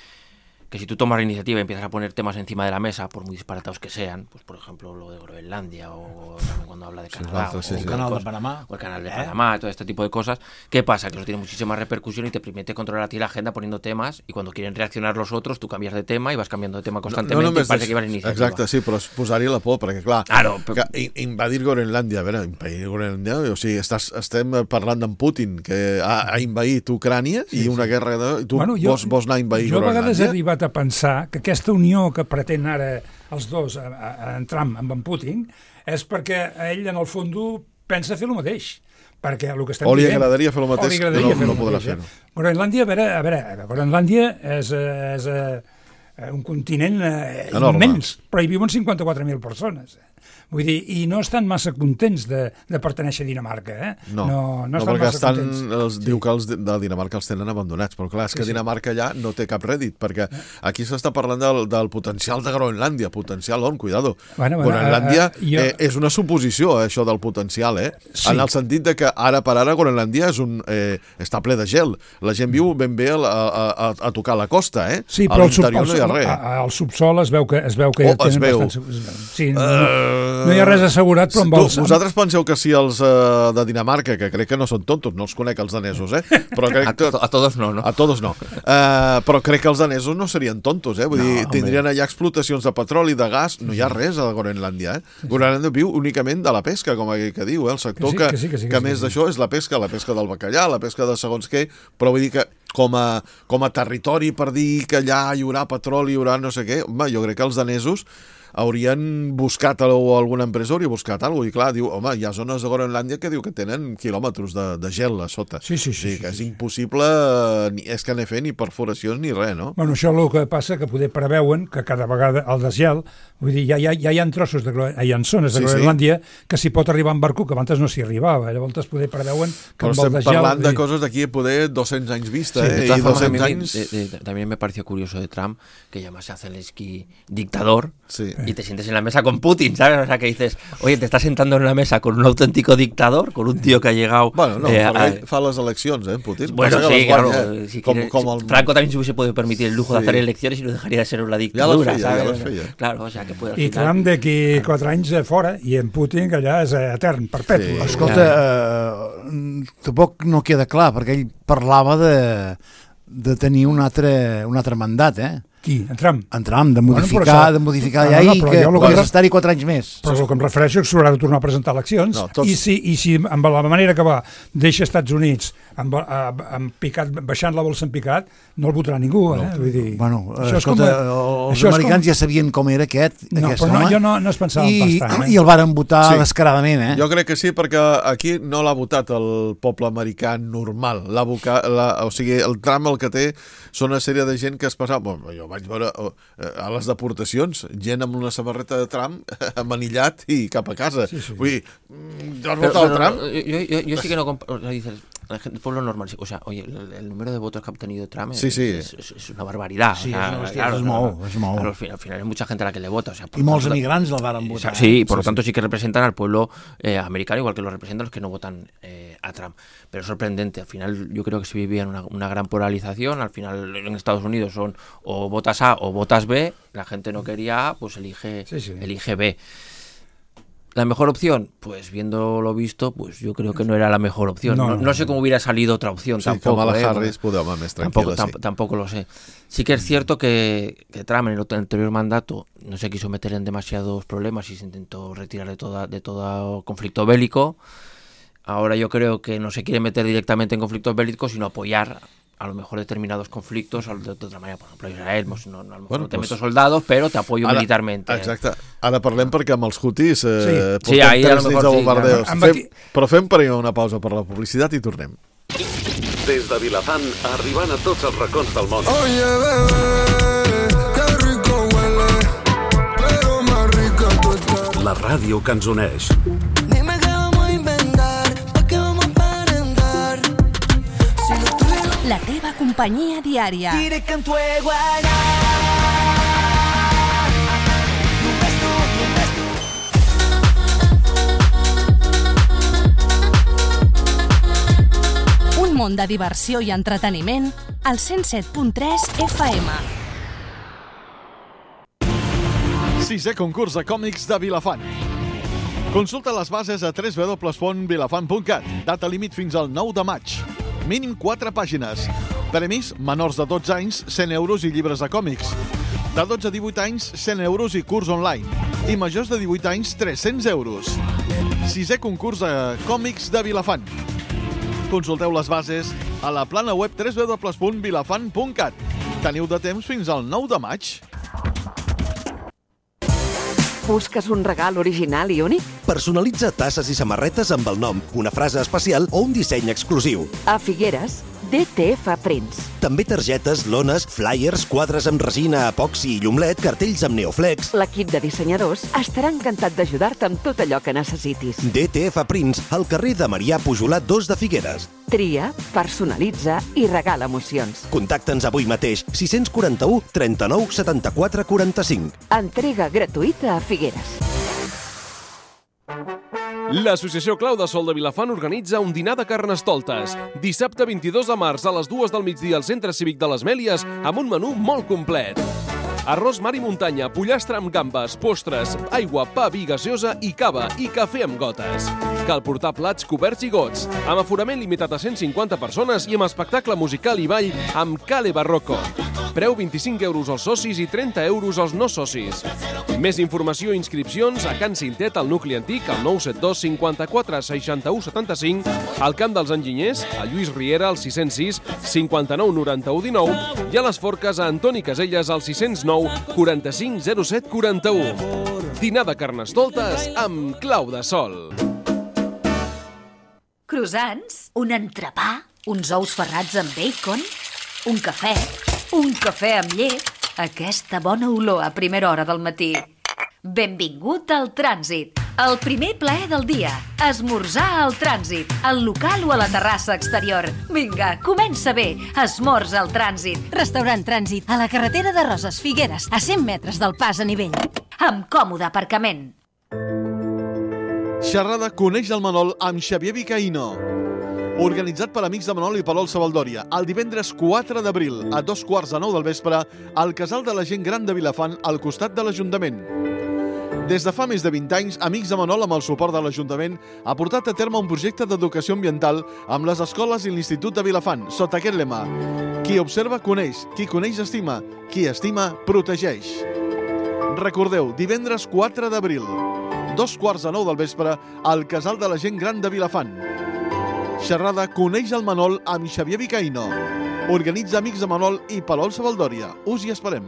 que si tú tomas la iniciativa y empiezas a poner temas encima de la mesa, por muy disparatados que sean, pues por ejemplo lo de Groenlandia, o también cuando habla de Canadá, o el canal de Panamá, o el canal de Panamá, todo este tipo de cosas, ¿qué pasa? Que eso tiene muchísima repercusión y te permite controlar a ti la agenda poniendo temas, y cuando quieren reaccionar los otros, tú cambias de tema y vas cambiando de tema constantemente, i parece que vas a iniciativa. Exacte, sí, però posar-hi la por, perquè clar, invadir Groenlàndia, a veure, invadir Groenlàndia, o sigui, estem parlant d'en Putin, que ha invaït Ucrània i una guerra, i tu vols anar a invadir Groenlàndia? Jo a vegades he arribat a pensar que aquesta unió que pretén ara els dos, en Trump amb en Putin, és perquè ell en el fons pensa fer el mateix. Perquè el que estem o li agradaria fer el mateix, que no podrà fer. Groenlàndia, a veure, Groenlàndia és un continent immens, però hi viuen 54.000 persones. Vull dir, i no estan massa contents de pertenèixer a Dinamarca, eh? No, perquè diu que els de Dinamarca els tenen abandonats, però clar, és que Dinamarca allà no té cap rèdit, perquè aquí s'està parlant del potencial de Groenlàndia, potencial on, cuidado. Groenlàndia és una suposició, això del potencial, en el sentit de que ara per ara Groenlàndia està ple de gel, la gent viu ben bé a tocar la costa, Sí, però al subsol es veu que tenen bastant... Sí, no hi ha res assegurat, però amb els... Vosaltres penseu que si els de Dinamarca, que crec que no són tontos, no els conec els danesos, però crec que... A todos no, no? A todos no. Però crec que els danesos no serien tontos, vull dir, tindrien allà explotacions de petroli, de gas, no hi ha res a Groenlàndia, Groenlàndia viu únicament de la pesca, com aquell que diu, el sector que més d'això és la pesca del bacallà, la pesca de segons què, però vull dir que com a territori per dir que allà hi haurà petroli, hi haurà no sé què, home, jo crec que els danesos haurien buscat, o alguna empresa hauria buscat alguna cosa, i clar, diu, home, hi ha zones de Groenlàndia que diu que tenen quilòmetres de gel a sota. Sí. Que és impossible, és que n'he fet ni perforacions ni res, no? Bueno, això el que passa que poder preveuen que cada vegada el desgel, vull dir, ja hi ha trossos, hi ha zones de Groenlàndia que s'hi pot arribar en barco, que abans no s'hi arribava, llavors poder preveuen que amb el desgel... Però estem parlant de coses d'aquí poder 200 anys vista, y 200 anys... También me pareció curioso de Trump, que ya más se hace el esquí dictador, y te sientes en la mesa con Putin, ¿sabes? O sea, que dices, oye, te estás sentando en una mesa con un auténtico dictador, con un tío que ha llegado... Bueno, no, fa les eleccions, Putin. Bueno, sí, claro. Franco también se hubiese podido permitir el lujo de hacer elecciones y no dejaría de ser una dictadura, ja les feia. Claro, o sea, que puede... I Trump d'aquí 4 anys fora, i en Putin que allà és etern, perpetu. Escolta, tampoc no queda clar, perquè ell parlava de tenir un altre mandat, Qui? En Trump? En Trump, de modificar la llei, que podria estar-hi 4 anys més. Però el que em refereixo és que s'haurà de tornar a presentar eleccions, i si amb la manera que va deixa Estats Units baixant la bolsa en picat, no el votarà ningú, vull dir... Bueno, escolta, els americans ja sabien com era aquest home. Jo no es pensava bastant. I el varen votar descaradament, Jo crec que sí, perquè aquí no l'ha votat el poble americà normal. O sigui, el Trump el que té són una sèrie de gent que es passava... Jo vaig veure a les deportacions gent amb una samarreta de Trump amanillat i cap a casa. Vull dir, ¿has votado al Trump? Yo sí que no... Dices, el pueblo normal, o sea, oye, el número de votos que ha obtenido Trump es una barbaridad. Sí, es molt. Al final hay mucha gente a la que le vota. O sea, y muchos emigrants lo van a votar. Sí, por lo tanto sí que representan al pueblo americano, igual que lo representan los que no votan a Trump. Pero es sorprendente, al final yo creo que se vivía en una gran polarización, al final en Estados Unidos son o votas A o votas B, la gente no quería A, pues elige B. ¿La mejor opción? Pues viendo lo visto, pues yo creo que no era la mejor opción. No sé cómo hubiera salido otra opción tampoco. Kamala Harris podeu més tranquil·la, tampoco lo sé. Sí que es cierto que Trump en el anterior mandato no se quiso meter en demasiados problemas y se intentó retirar de todo conflicto bélico. Ahora yo creo que no se quiere meter directamente en conflictos bélicos, sino apoyar a lo mejor determinados conflictos de otra manera. Por ejemplo, Israel, a lo mejor no te meto soldados, pero te apoyo militarmente. Exacte. Ara parlem perquè amb els hutis portem 3 nits de bombardeos. Però fem per una pausa per la publicitat i tornem. Des de Vilafant, arribant a tots els racons del món. Oye, bebé, que rico huele, pero más rica tú estás. La ràdio que ens uneix. Dime qué vamos a inventar, pa' qué vamos a aparentar. Si no tuvieron... La teva companyia diària. Diré que en tu iguana. Un món de diversió i entreteniment al 107.3 FM. 6è concurs de còmics de Vilafant. Consulta les bases a www.vilafant.cat. Data límit fins al 9 de maig. Mínim 4 pàgines. Premis: menors de 12 anys, 100 euros i llibres de còmics. De 12 a 18 anys, 100 euros i curs online. I majors de 18 anys, 300 euros. 6è concurs de còmics de Vilafant. Consulteu les bases a la plana web www.vilafant.cat. Teniu de temps fins al 9 de maig. Busques un regal original i únic? Personalitza tasses i samarretes amb el nom, una frase especial o un disseny exclusiu. A Figueres, DTF Prints. També targetes, lones, flyers, quadres amb resina, epoxi i llumlet, cartells amb neoflex. L'equip de dissenyadors estarà encantat d'ajudar-te amb tot allò que necessitis. DTF Prints, al carrer de Marià Pujolat 2 de Figueres. Tria, personalitza i regala emocions. Contacta'ns avui mateix, 641 39 74 45. Entrega gratuïta a Figueres. L'Associació Clau de Sol de Vilafant organitza un dinar de carnestoltes. Dissabte 22 de març a les 2 del migdia al Centre Cívic de les Mèlies amb un menú molt complet. Arròs mar i muntanya, pollastre amb gambes, postres, aigua, pa, vi, gaseosa i cava i cafè amb gotes. Cal portar plats coberts i gots, amb aforament limitat a 150 persones i amb espectacle musical i ball amb Cale Barroco. Preu 25 euros als socis i 30 euros als no socis. Més informació i inscripcions a Can Cintet, al nucli antic, al 972 54 61 75, al Camp dels Enginyers, a Lluís Riera, al 606 59 91 19 i a les Forques a Antoni Caselles, al 609 45 07 41. Dinar de carnestoltes amb clau de sol. Croissants, un entrepà, uns ous ferrats amb bacon, un cafè amb llet, aquesta bona olor a primera hora del matí. Benvingut al Trànsit, el primer plaer del dia. Esmorzar al Trànsit, al local o a la terrassa exterior. Vinga, comença bé, esmorza al Trànsit. Restaurant Trànsit, a la carretera de Roses, Figueres, a 100 metres del pas a nivell. Amb còmode aparcament. Xerrada Coneix el Manol amb Xavier Vicaíno. Organitzat per amics de Manol i Palol Sabaldòria, el divendres 4 d'abril, a 2:15 del vespre, al Casal de la Gent Gran de Vilafant, al costat de l'Ajuntament. Des de fa més de 20 anys, Amics de Manol, amb el suport de l'Ajuntament, ha portat a terme un projecte d'educació ambiental amb les escoles i l'Institut de Vilafant, sota aquest lema: qui observa, coneix, qui coneix, estima, qui estima, protegeix. Recordeu, divendres 4 d'abril, 2:15 del vespre, al Casal de la Gent Gran de Vilafant. Xerrada Coneix el Manol amb Xavier Vicaíno. Organitza Amics de Manol i Palol Sabaldòria. Us hi esperem.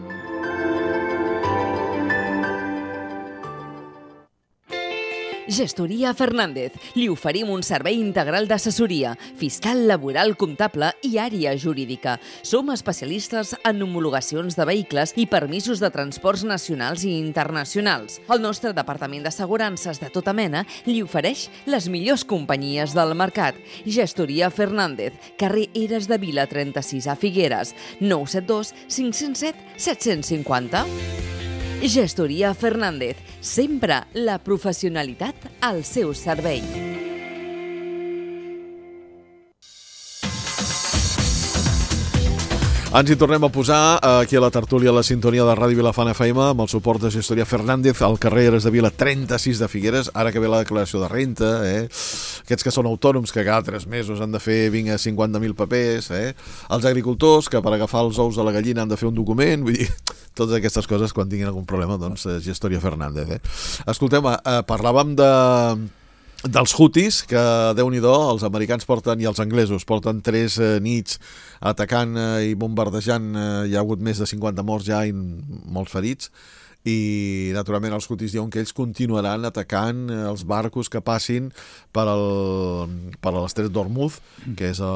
Gestoria Fernández. Li oferim un servei integral d'assessoria, fiscal, laboral, comptable i àrea jurídica. Som especialistes en homologacions de vehicles i permisos de transports nacionals i internacionals. El nostre departament d'assegurances de tota mena li ofereix les millors companyies del mercat. Gestoria Fernández, carrer Eres de Vila 36 a Figueres, 972 507 750. Gestoria Fernández, sempre la professionalitat al seu servei. Ens hi tornem a posar aquí a la tertúlia a la sintonia de Ràdio Vilafant FM amb el suport de Gestoria Fernández al carrer Eres de Vila 36 de Figueres, ara que ve la declaració de renta, aquests que són autònoms que cada 3 mesos han de fer 50.000 papers, els agricultors que per agafar els ous de la gallina han de fer un document, vull dir, totes aquestes coses quan tinguin algun problema, doncs Gestoria Fernández. Escolteu, parlàvem dels Houthis, que Déu-n'hi-do, els americans i els anglesos porten 3 nits atacant i bombardejant, hi ha hagut més de 50 morts ja i molts ferits, i naturalment els Houthis diuen que ells continuaran atacant els barcos que passin per l'estret d'Hormuz, que és el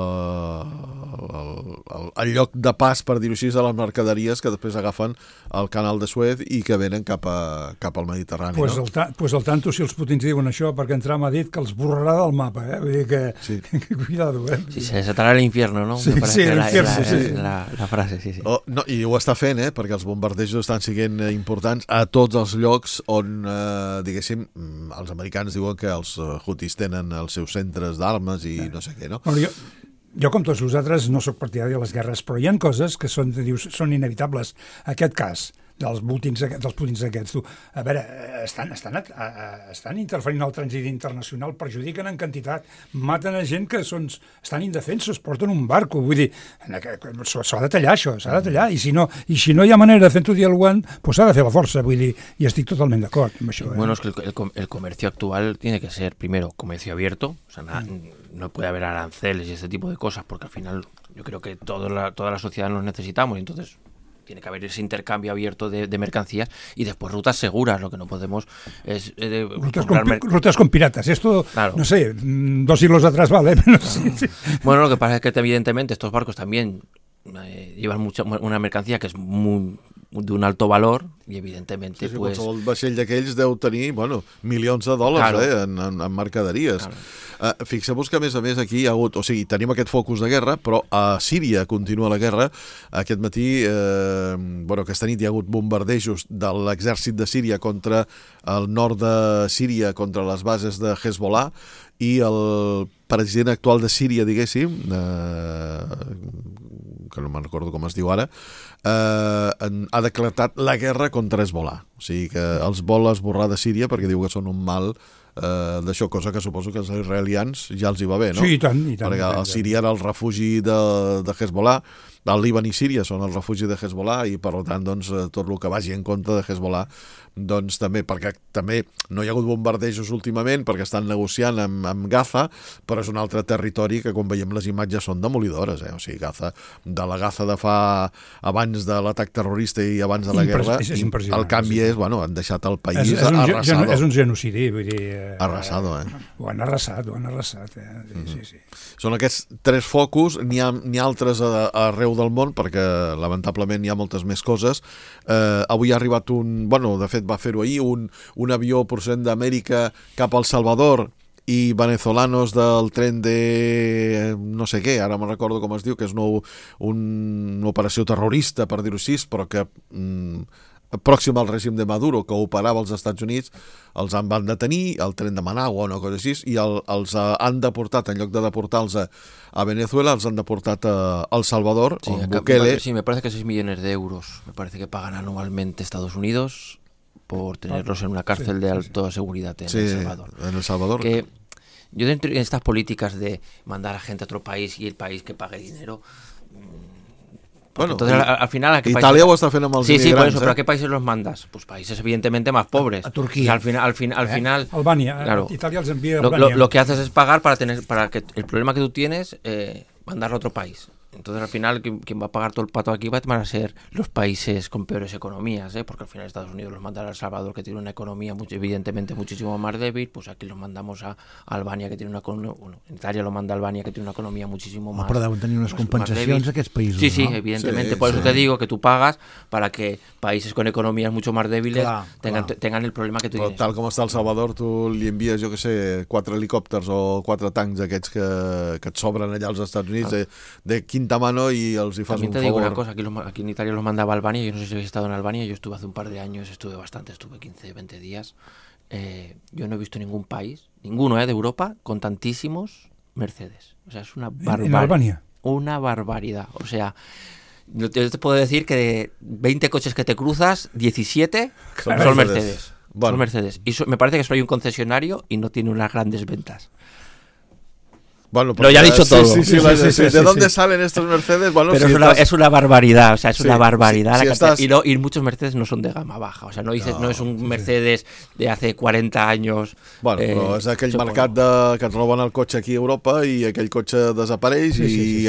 lloc de pas, per dir-ho així, de les mercaderies que després agafen el canal de Suez i que venen cap al Mediterrani. Pues al tanto si els putins diuen això, perquè en Trump ha dit que els borrarà del mapa, vull dir que... Sí. Cuidado, Sí, se desatarà l'infierno, ¿no? Sí, la frase, sí. No, i ho està fent, perquè els bombardejos estan sent importants a tots els llocs on, diguéssim, els americans diuen que els Houthis tenen els seus centres d'armes i no sé què, no? Bueno, jo, com tots vosaltres, no sóc partidari de les guerres, però hi ha coses que són inevitables. Aquest cas dels putins aquests, tu, a veure, estan interferint al trànsit internacional, perjudiquen en quantitat, maten a gent que estan indefensos, porten un barco, vull dir, s'ha de tallar això, s'ha de tallar, i si no hi ha manera de fer-ho dialogant, pues s'ha de fer la força, vull dir, i estic totalment d'acord amb això. Bueno, es que el comercio actual tiene que ser, primero, comercio abierto, o sea, no puede haber aranceles y este tipo de cosas, porque al final yo creo que toda la sociedad nos necesitamos, y entonces tiene que haber ese intercambio abierto de mercancías y después rutas seguras. Lo que no podemos es... rutas con piratas. Esto, claro. No sé, 2 siglos atrás vale. Pero sí. Bueno, lo que pasa es que evidentemente estos barcos también llevan una mercancía que es de un alto valor i evidentment sí, pues... qualsevol vaixell d'aquells deu tenir milions de dòlars, claro. En mercaderies. Claro. Fixeu-vos que a més aquí hi ha hagut, o sigui, tenim aquest focus de guerra, però a Síria continua la guerra. Aquest matí, aquesta nit hi ha hagut bombardejos de l'exèrcit de Síria contra el nord de Síria, contra les bases de Hezbollah, i el president actual de Síria, diguéssim, que no me'n recordo com es diu ara, ha declarat la guerra contra Hezbollah. O sigui que els vol esborrar de Síria perquè diu que són un mal d'això, cosa que suposo que els israelians ja els hi va bé, no? Sí, i tant. Perquè el Síria era el refugi de Hezbollah, el Líban i Síria són el refugi de Hezbollah i per tant tot el que vagi en contra de Hezbollah també, perquè també no hi ha hagut bombardejos últimament perquè estan negociant amb Gaza, però és un altre territori que quan veiem les imatges són demolidores, o sigui, Gaza, de la Gaza de fa abans de l'atac terrorista i abans de la guerra, el canvi és, han deixat el país arrasado. És un genocidi, vull dir... Arrasado, Ho han arrasat. Sí. Són aquests 3 focus, n'hi ha altres arreu del món, perquè lamentablement hi ha moltes més coses. Avui ha arribat de fet va fer-ho ahir, un avió procedent d'Amèrica cap al Salvador i venezolanos del tren de no sé què, ara me'n recordo com es diu, que és una operació terrorista, per dir-ho així, però que pròxim al règim de Maduro, que operava als Estats Units, els van detenir, el tren de Managua o una cosa així, i els han deportat, en lloc de deportar-los a Venezuela, els han deportat a El Salvador, sí, on Bukele... Sí, me parece que 6 millones de euros, me parece que pagan anualmente Estados Unidos por tenerlos en una cárcel de alta seguridad en El Salvador. En El Salvador. Que yo dentro de estas políticas de mandar a gente a otro país y el país que pague dinero... Bueno, entonces al final Italia ho està fent amb els inmigrants. Sí, por eso, pero ¿a qué países los mandas? Pues países evidentemente más pobres. A Turquía. Y al final Albania, claro, Italia els envia a Albania. Lo que haces es pagar para que el problema que tú tienes mandarlo a otro país. Entonces al final quien va a pagar todo el pato aquí van a ser los países con peores economías, porque al final Estados Unidos los manda a El Salvador, que tiene una economía evidentemente muchísimo más débil, pues aquí los mandamos a Albania, que tiene una economía, en Italia lo manda a Albania, que tiene una economía muchísimo más però deuen tenir unes compensacions a aquests països, sí, no? Evidentemente, por eso te digo que tú pagas para que países con economías mucho más débiles tengan el problema que tú tienes. Tal com està El Salvador, tu li envies, jo que sé, 4 helicòpters o 4 tancs aquests que et sobren allà als Estats Units, de quinta mano, y els hi fas un favor. También te digo una cosa, aquí en Italia los mandaba a Albania, yo no sé si habéis estado en Albania, yo estuve hace un par de años, estuve 15, 20 días, yo no he visto ningún país, ninguno de Europa, con tantísimos Mercedes. O sea, es una barbaridad. ¿En Albania? Una barbaridad. O sea, yo te puedo decir que de 20 coches que te cruzas, 17 son Mercedes. Bueno. Son Mercedes. Y me parece que solo hay un concesionario y no tiene unas grandes ventas. Bueno, lo ya ha dicho todo. Sí, ¿de dónde salen estos Mercedes? Bueno, pero es una barbaridad, o sea, es una barbaridad. Y muchos Mercedes no son de gama baja, o sea, no es un Mercedes de hace 40 anys. Bueno, però és aquell mercat que et roben el cotxe aquí a Europa i aquell cotxe desapareix i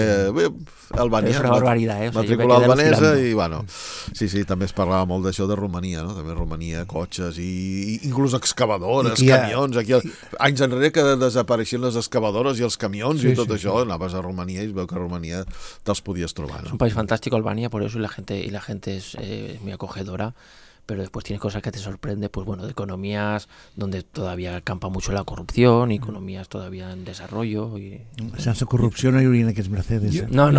Albània. És una barbaritat, matrícula albanesa i, bueno, sí, també es parlava molt d'això de Romania, no? També Romania, cotxes i inclús excavadores, camions. Aquí, anys enrere que desapareixien les excavadores i els camions i tot això, anaves a Romania i es veu que a Romania te'ls podies trobar, ¿no? Es un país fantástico, Albania, por eso y la gente es muy acogedora, pero después tiene cosas que te sorprende, pues bueno, de economías donde todavía campa mucho la corrupción y economías todavía en desarrollo. Sense corrupció no hi haurien aquests Mercedes. No.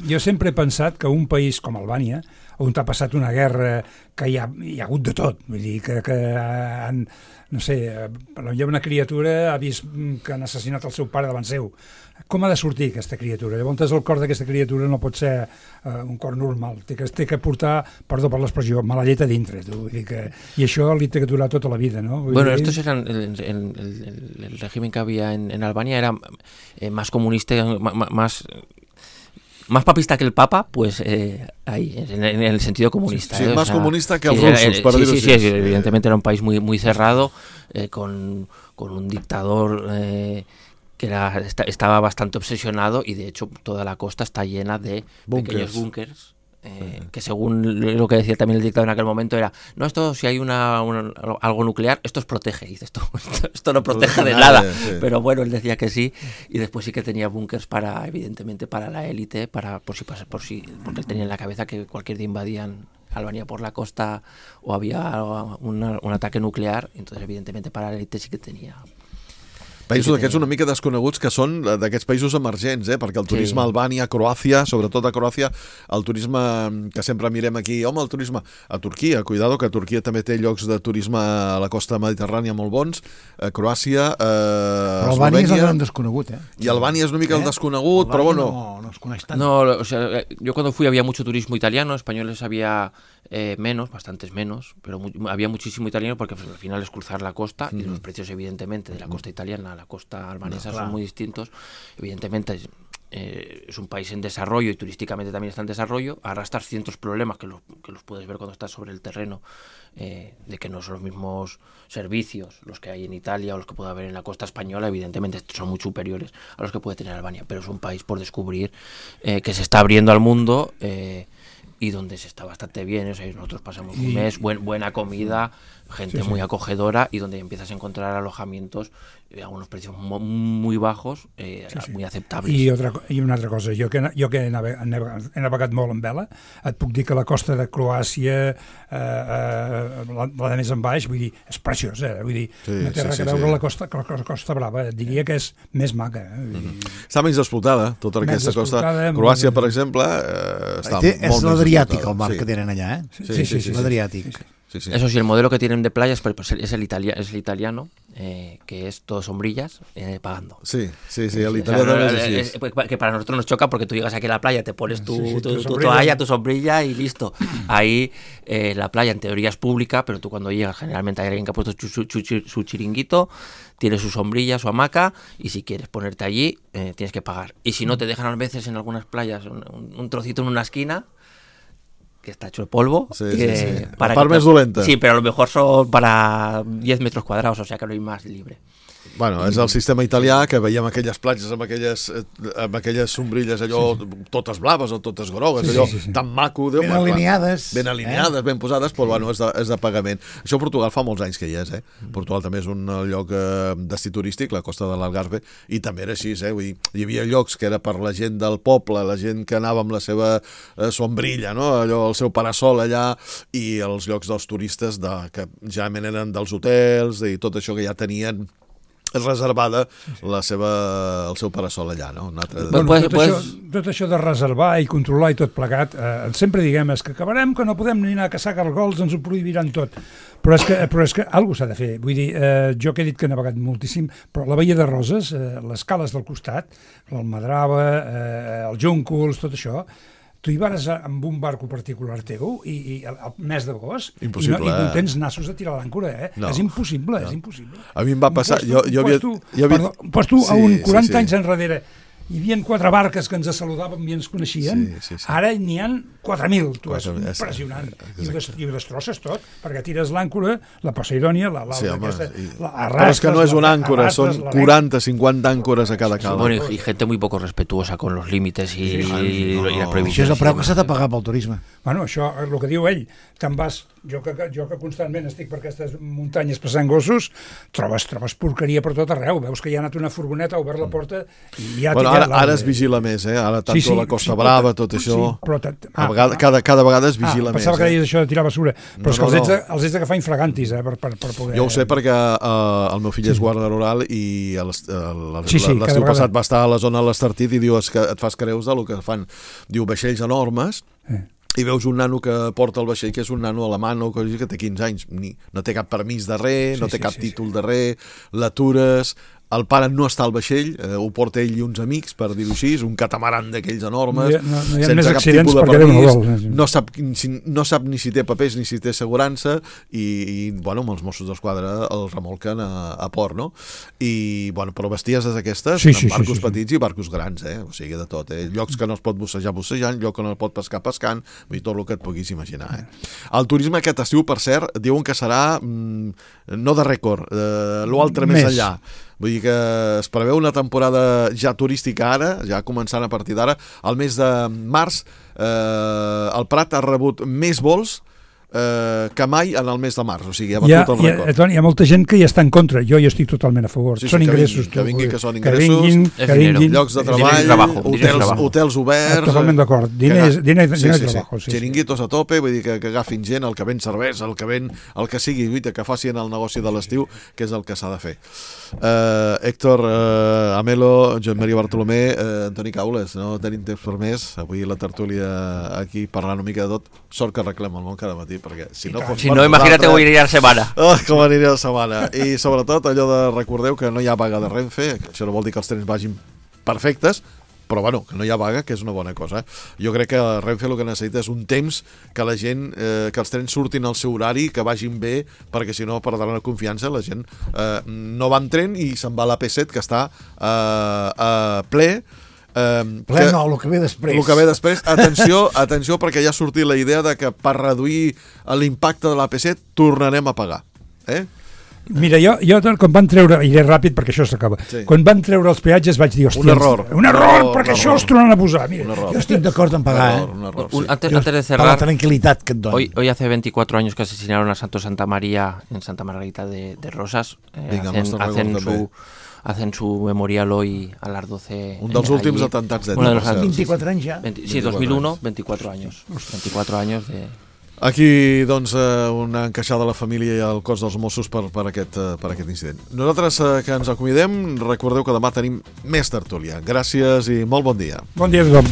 Jo sempre he pensat que un país com Albània, on ha passat una guerra que hi ha hagut de tot, vull dir que han, no sé, hi ha una criatura ha vist que han assassinat el seu pare davant seu. Com ha de sortir aquesta criatura? Llavors el cor d'aquesta criatura no pot ser un cor normal, té que portar, perdó per l'expressió, mala llet a dintre, vull dir que, i això li té que durar tota la vida, ¿no? Bueno, estos eran el régimen que había en Albania era más comunista, más papista que el Papa, pues ahí, en el sentido comunista. Sí, más comunista que els russos, per dir-ho així. Sí, evidentemente era un país muy, muy cerrado, con un dictador que estaba bastante obsesionado y de hecho toda la costa está llena de pequeños búnkers. Que según lo que decía también el dictador en aquel momento era, no, esto si hay algo nuclear, esto os protege. Y dice, esto no protege de nada. Sí. Pero bueno, él decía que sí, y después sí que tenía búnkers evidentemente para la élite, por si, porque él tenía en la cabeza que cualquier día invadían Albania por la costa o había un ataque nuclear, entonces evidentemente para la élite sí que tenía. Països d'aquests una mica desconeguts que són d'aquests països emergents, perquè el turisme a Albània, a Croàcia, sobretot a Croàcia, el turisme que sempre mirem aquí, el turisme a Turquia, cuidado, que Turquia també té llocs de turisme a la costa mediterrània molt bons, a Croàcia, però Albània és el gran desconegut, I Albània és una mica el desconegut, però bueno... No es coneix tant. No, o sea, yo cuando fui había mucho turismo italiano, españoles había menos, bastantes menos, pero había muchísimo italiano porque al final es cruzar la costa y los precios evidentemente de la costa italiana a la costa albanesa son muy distintos. Evidentemente es un país en desarrollo y turísticamente también está en desarrollo, arrastras cientos problemas que los puedes ver cuando estás sobre el terreno, de que no son los mismos servicios los que hay en Italia o los que puede haber en la costa española, evidentemente son muy superiores a los que puede tener Albania, pero es un país por descubrir que se está abriendo al mundo y donde se está bastante bien, o sea, nosotros pasamos un mes, buena comida, gente muy acogedora y donde empiezas a encontrar alojamientos a unos precios muy bajos, muy aceptables. I una altra cosa, jo que he navegat molt en vela, et puc dir que la costa de Croàcia, la de més en baix, vull dir, és preciosa, vull dir, no té res a veure la Costa Brava, diria que és més maca. Està menys explotada, tota aquesta costa. Croàcia, per exemple, està molt més explotada. És l'Adriàtic el mar que tenen allà, Sí, l'Adriàtic. Sí. Eso sí, el modelo que tienen de playas es el italiano, que es todo sombrillas pagando. Sí, el italiano es así. Que para nosotros nos choca porque tú llegas aquí a la playa, te pones tu toalla, tu sombrilla y listo. Ahí la playa en teoría es pública, pero tú cuando llegas generalmente hay alguien que ha puesto su chiringuito, tiene su sombrilla, su hamaca, y si quieres ponerte allí tienes que pagar. Y si no, te dejan a veces en algunas playas un trocito en una esquina que está hecho de polvo. Para part més dolenta. Sí, pero a lo mejor son para 10 metros cuadrados, o sea que no hay más libre. Bueno, és el sistema italià que veiem aquelles platges amb aquelles sombrilles allò totes blaves o totes grogues, allò tan maco. Ben alineades. Ben alineades, ben posades, però bueno, és de pagament. Això a Portugal fa molts anys que hi és, Portugal també és un lloc destí turístic, la costa de l'Algarve, i també era així, vull dir, hi havia llocs que era per la gent del poble, la gent que anava amb la seva sombrilla, no? Allò, el seu parasol allà, i els llocs dels turistes que generalment eren dels hotels i tot això que ja tenien reservada el seu parasol allà, no? Tot això de reservar i controlar i tot plegat, sempre diguem que acabarem que no podem ni anar a caçar gargols, ens ho prohibiran tot. Però és que alguna s'ha de fer. Vull dir, jo que he dit que he navegat moltíssim, però la Baia de Roses, les cales del costat, l'Almadrava, els Júncols, tot això, tu hi vas amb un barco particular teu i al mes d'agost i no tens nassos de tirar l'àncora, No. És impossible, és impossible. A mi em va passar... Pues tu, a un 40 anys enrere, hi havia 4 barques que ens saludàvem i ens coneixien, ara n'hi ha 4.000, tu, és impressionant. I ho destrosses tot, perquè tires l'àncora, la Poseidònia, la arrastres... Però és que no és una àncora, són 40, 50 àncores a cada cala. Bueno, y gente muy poco respetuosa con los límites y las prohibiciones. Això és el preu que s'ha de pagar pel turisme. Bueno, això, el que diu ell, te'n vas... Jo que constantment estic per aquestes muntanyes passant gossos, trobes porqueria per tot arreu. Veus que hi ha anat una furgoneta, ha obert la porta i ja... Ara es vigila més, Ara tant la Costa Brava, tot això... Cada vegada es vigila més. Pensava que deies això de tirar basura, però és que els ets d'agafar infragantis, per poder... Jo ho sé perquè el meu fill és guarda rural i l'estiu passat va estar a la zona de l'Estartit i diu que et fas creus del que fan. Diu vaixells enormes... I veus un nano que porta el vaixell, que és un nano alemany que té 15 anys, no té cap permís de res, no té cap títol de res, l'atures, el pare no està al vaixell, ho porta ell i uns amics, per dir-ho així, un catamaran d'aquells enormes, sense cap tipus de permís, no sap ni si té papers ni si té assegurança, i bueno, amb els Mossos d'Esquadra el remolquen a port, no? I, bueno, però bestieses aquestes, amb barcos petits i barcos grans, o sigui, de tot, llocs que no es pot bussejant, llocs que no es pot pescar pescant, vull dir, tot el que et puguis imaginar. El turisme aquest estiu, per cert, diuen que serà no de rècord, l'altre més enllà. Vull dir que es preveu una temporada ja turística ara, ja començant a partir d'ara. Al mes de març el Prat ha rebut més vols que mai en el mes de març, o sigui, ha batut el rècord. Hi ha molta gent que hi està en contra, jo hi estic totalment a favor. Són ingressos. Que vinguin, que són ingressos, llocs de treball, hotels oberts... Totalment d'acord, diners de treball. Xiringuitos a tope, vull dir que agafin gent, el que ven cervesa, el que sigui, que facin el negoci de l'estiu, que és el que s'ha de fer. Héctor, Amelo, Joan Maria Bartolomé, Antoni Caules, no tenim temps per més, avui la tertúlia aquí parlant una mica de tot, sort que arreglem el món cada matí, perquè si no imagínate com aniria la setmana. Com aniria la setmana. I sobretot allò de recordeu que no hi ha vaga de Renfe, això no vol dir que els trens vagin perfectes, però bueno, que no hi ha vaga, que és una bona cosa. Jo crec que Renfe el que necessita és un temps que la gent, que els trens surtin al seu horari, que vagin bé, perquè si no perdran la confiança, la gent no va en tren i se'n va a la P7 que està ple. El que ve després. El que ve després. Atenció, perquè ja ha sortit la idea de que per reduir l'impacte de la P7 tornarem a pagar. Mira, jo quan van treure, iré ràpid perquè això s'acaba, quan van treure els peatges vaig dir, hòstia, un error, perquè això els tornen a posar. Mira, jo estic d'acord en pagar, Antes de cerrar, para la tranquilidad que et dona. Hoy hace 24 años que asesinaron a Santo Santa María en Santa Margarita de Rosas. Hacen su memorial hoy a las 12. Un dels últims atemptats de 24 anys ja. Sí, 2001, 24 años. 24 años de... Aquí, doncs, una encaixada a la família i al cos dels Mossos per aquest incident. Nosaltres que ens acomidem, recordeu que demà tenim més tertúlia. Gràcies i molt bon dia. Bon dia a tothom.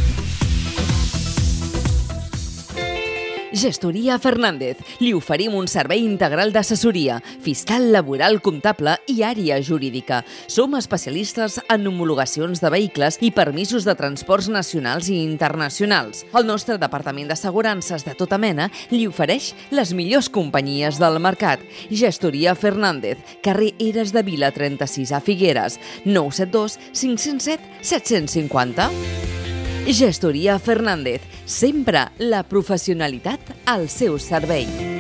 Gestoria Fernández. Li oferim un servei integral d'assessoria, fiscal, laboral, comptable i àrea jurídica. Som especialistes en homologacions de vehicles i permisos de transports nacionals i internacionals. El nostre departament d'assegurances de tota mena li ofereix les millors companyies del mercat. Gestoria Fernández, carrer Eres de Vila 36 a Figueres, 972 507 750. Gestoria Fernández, sempre la professionalitat al seu servei.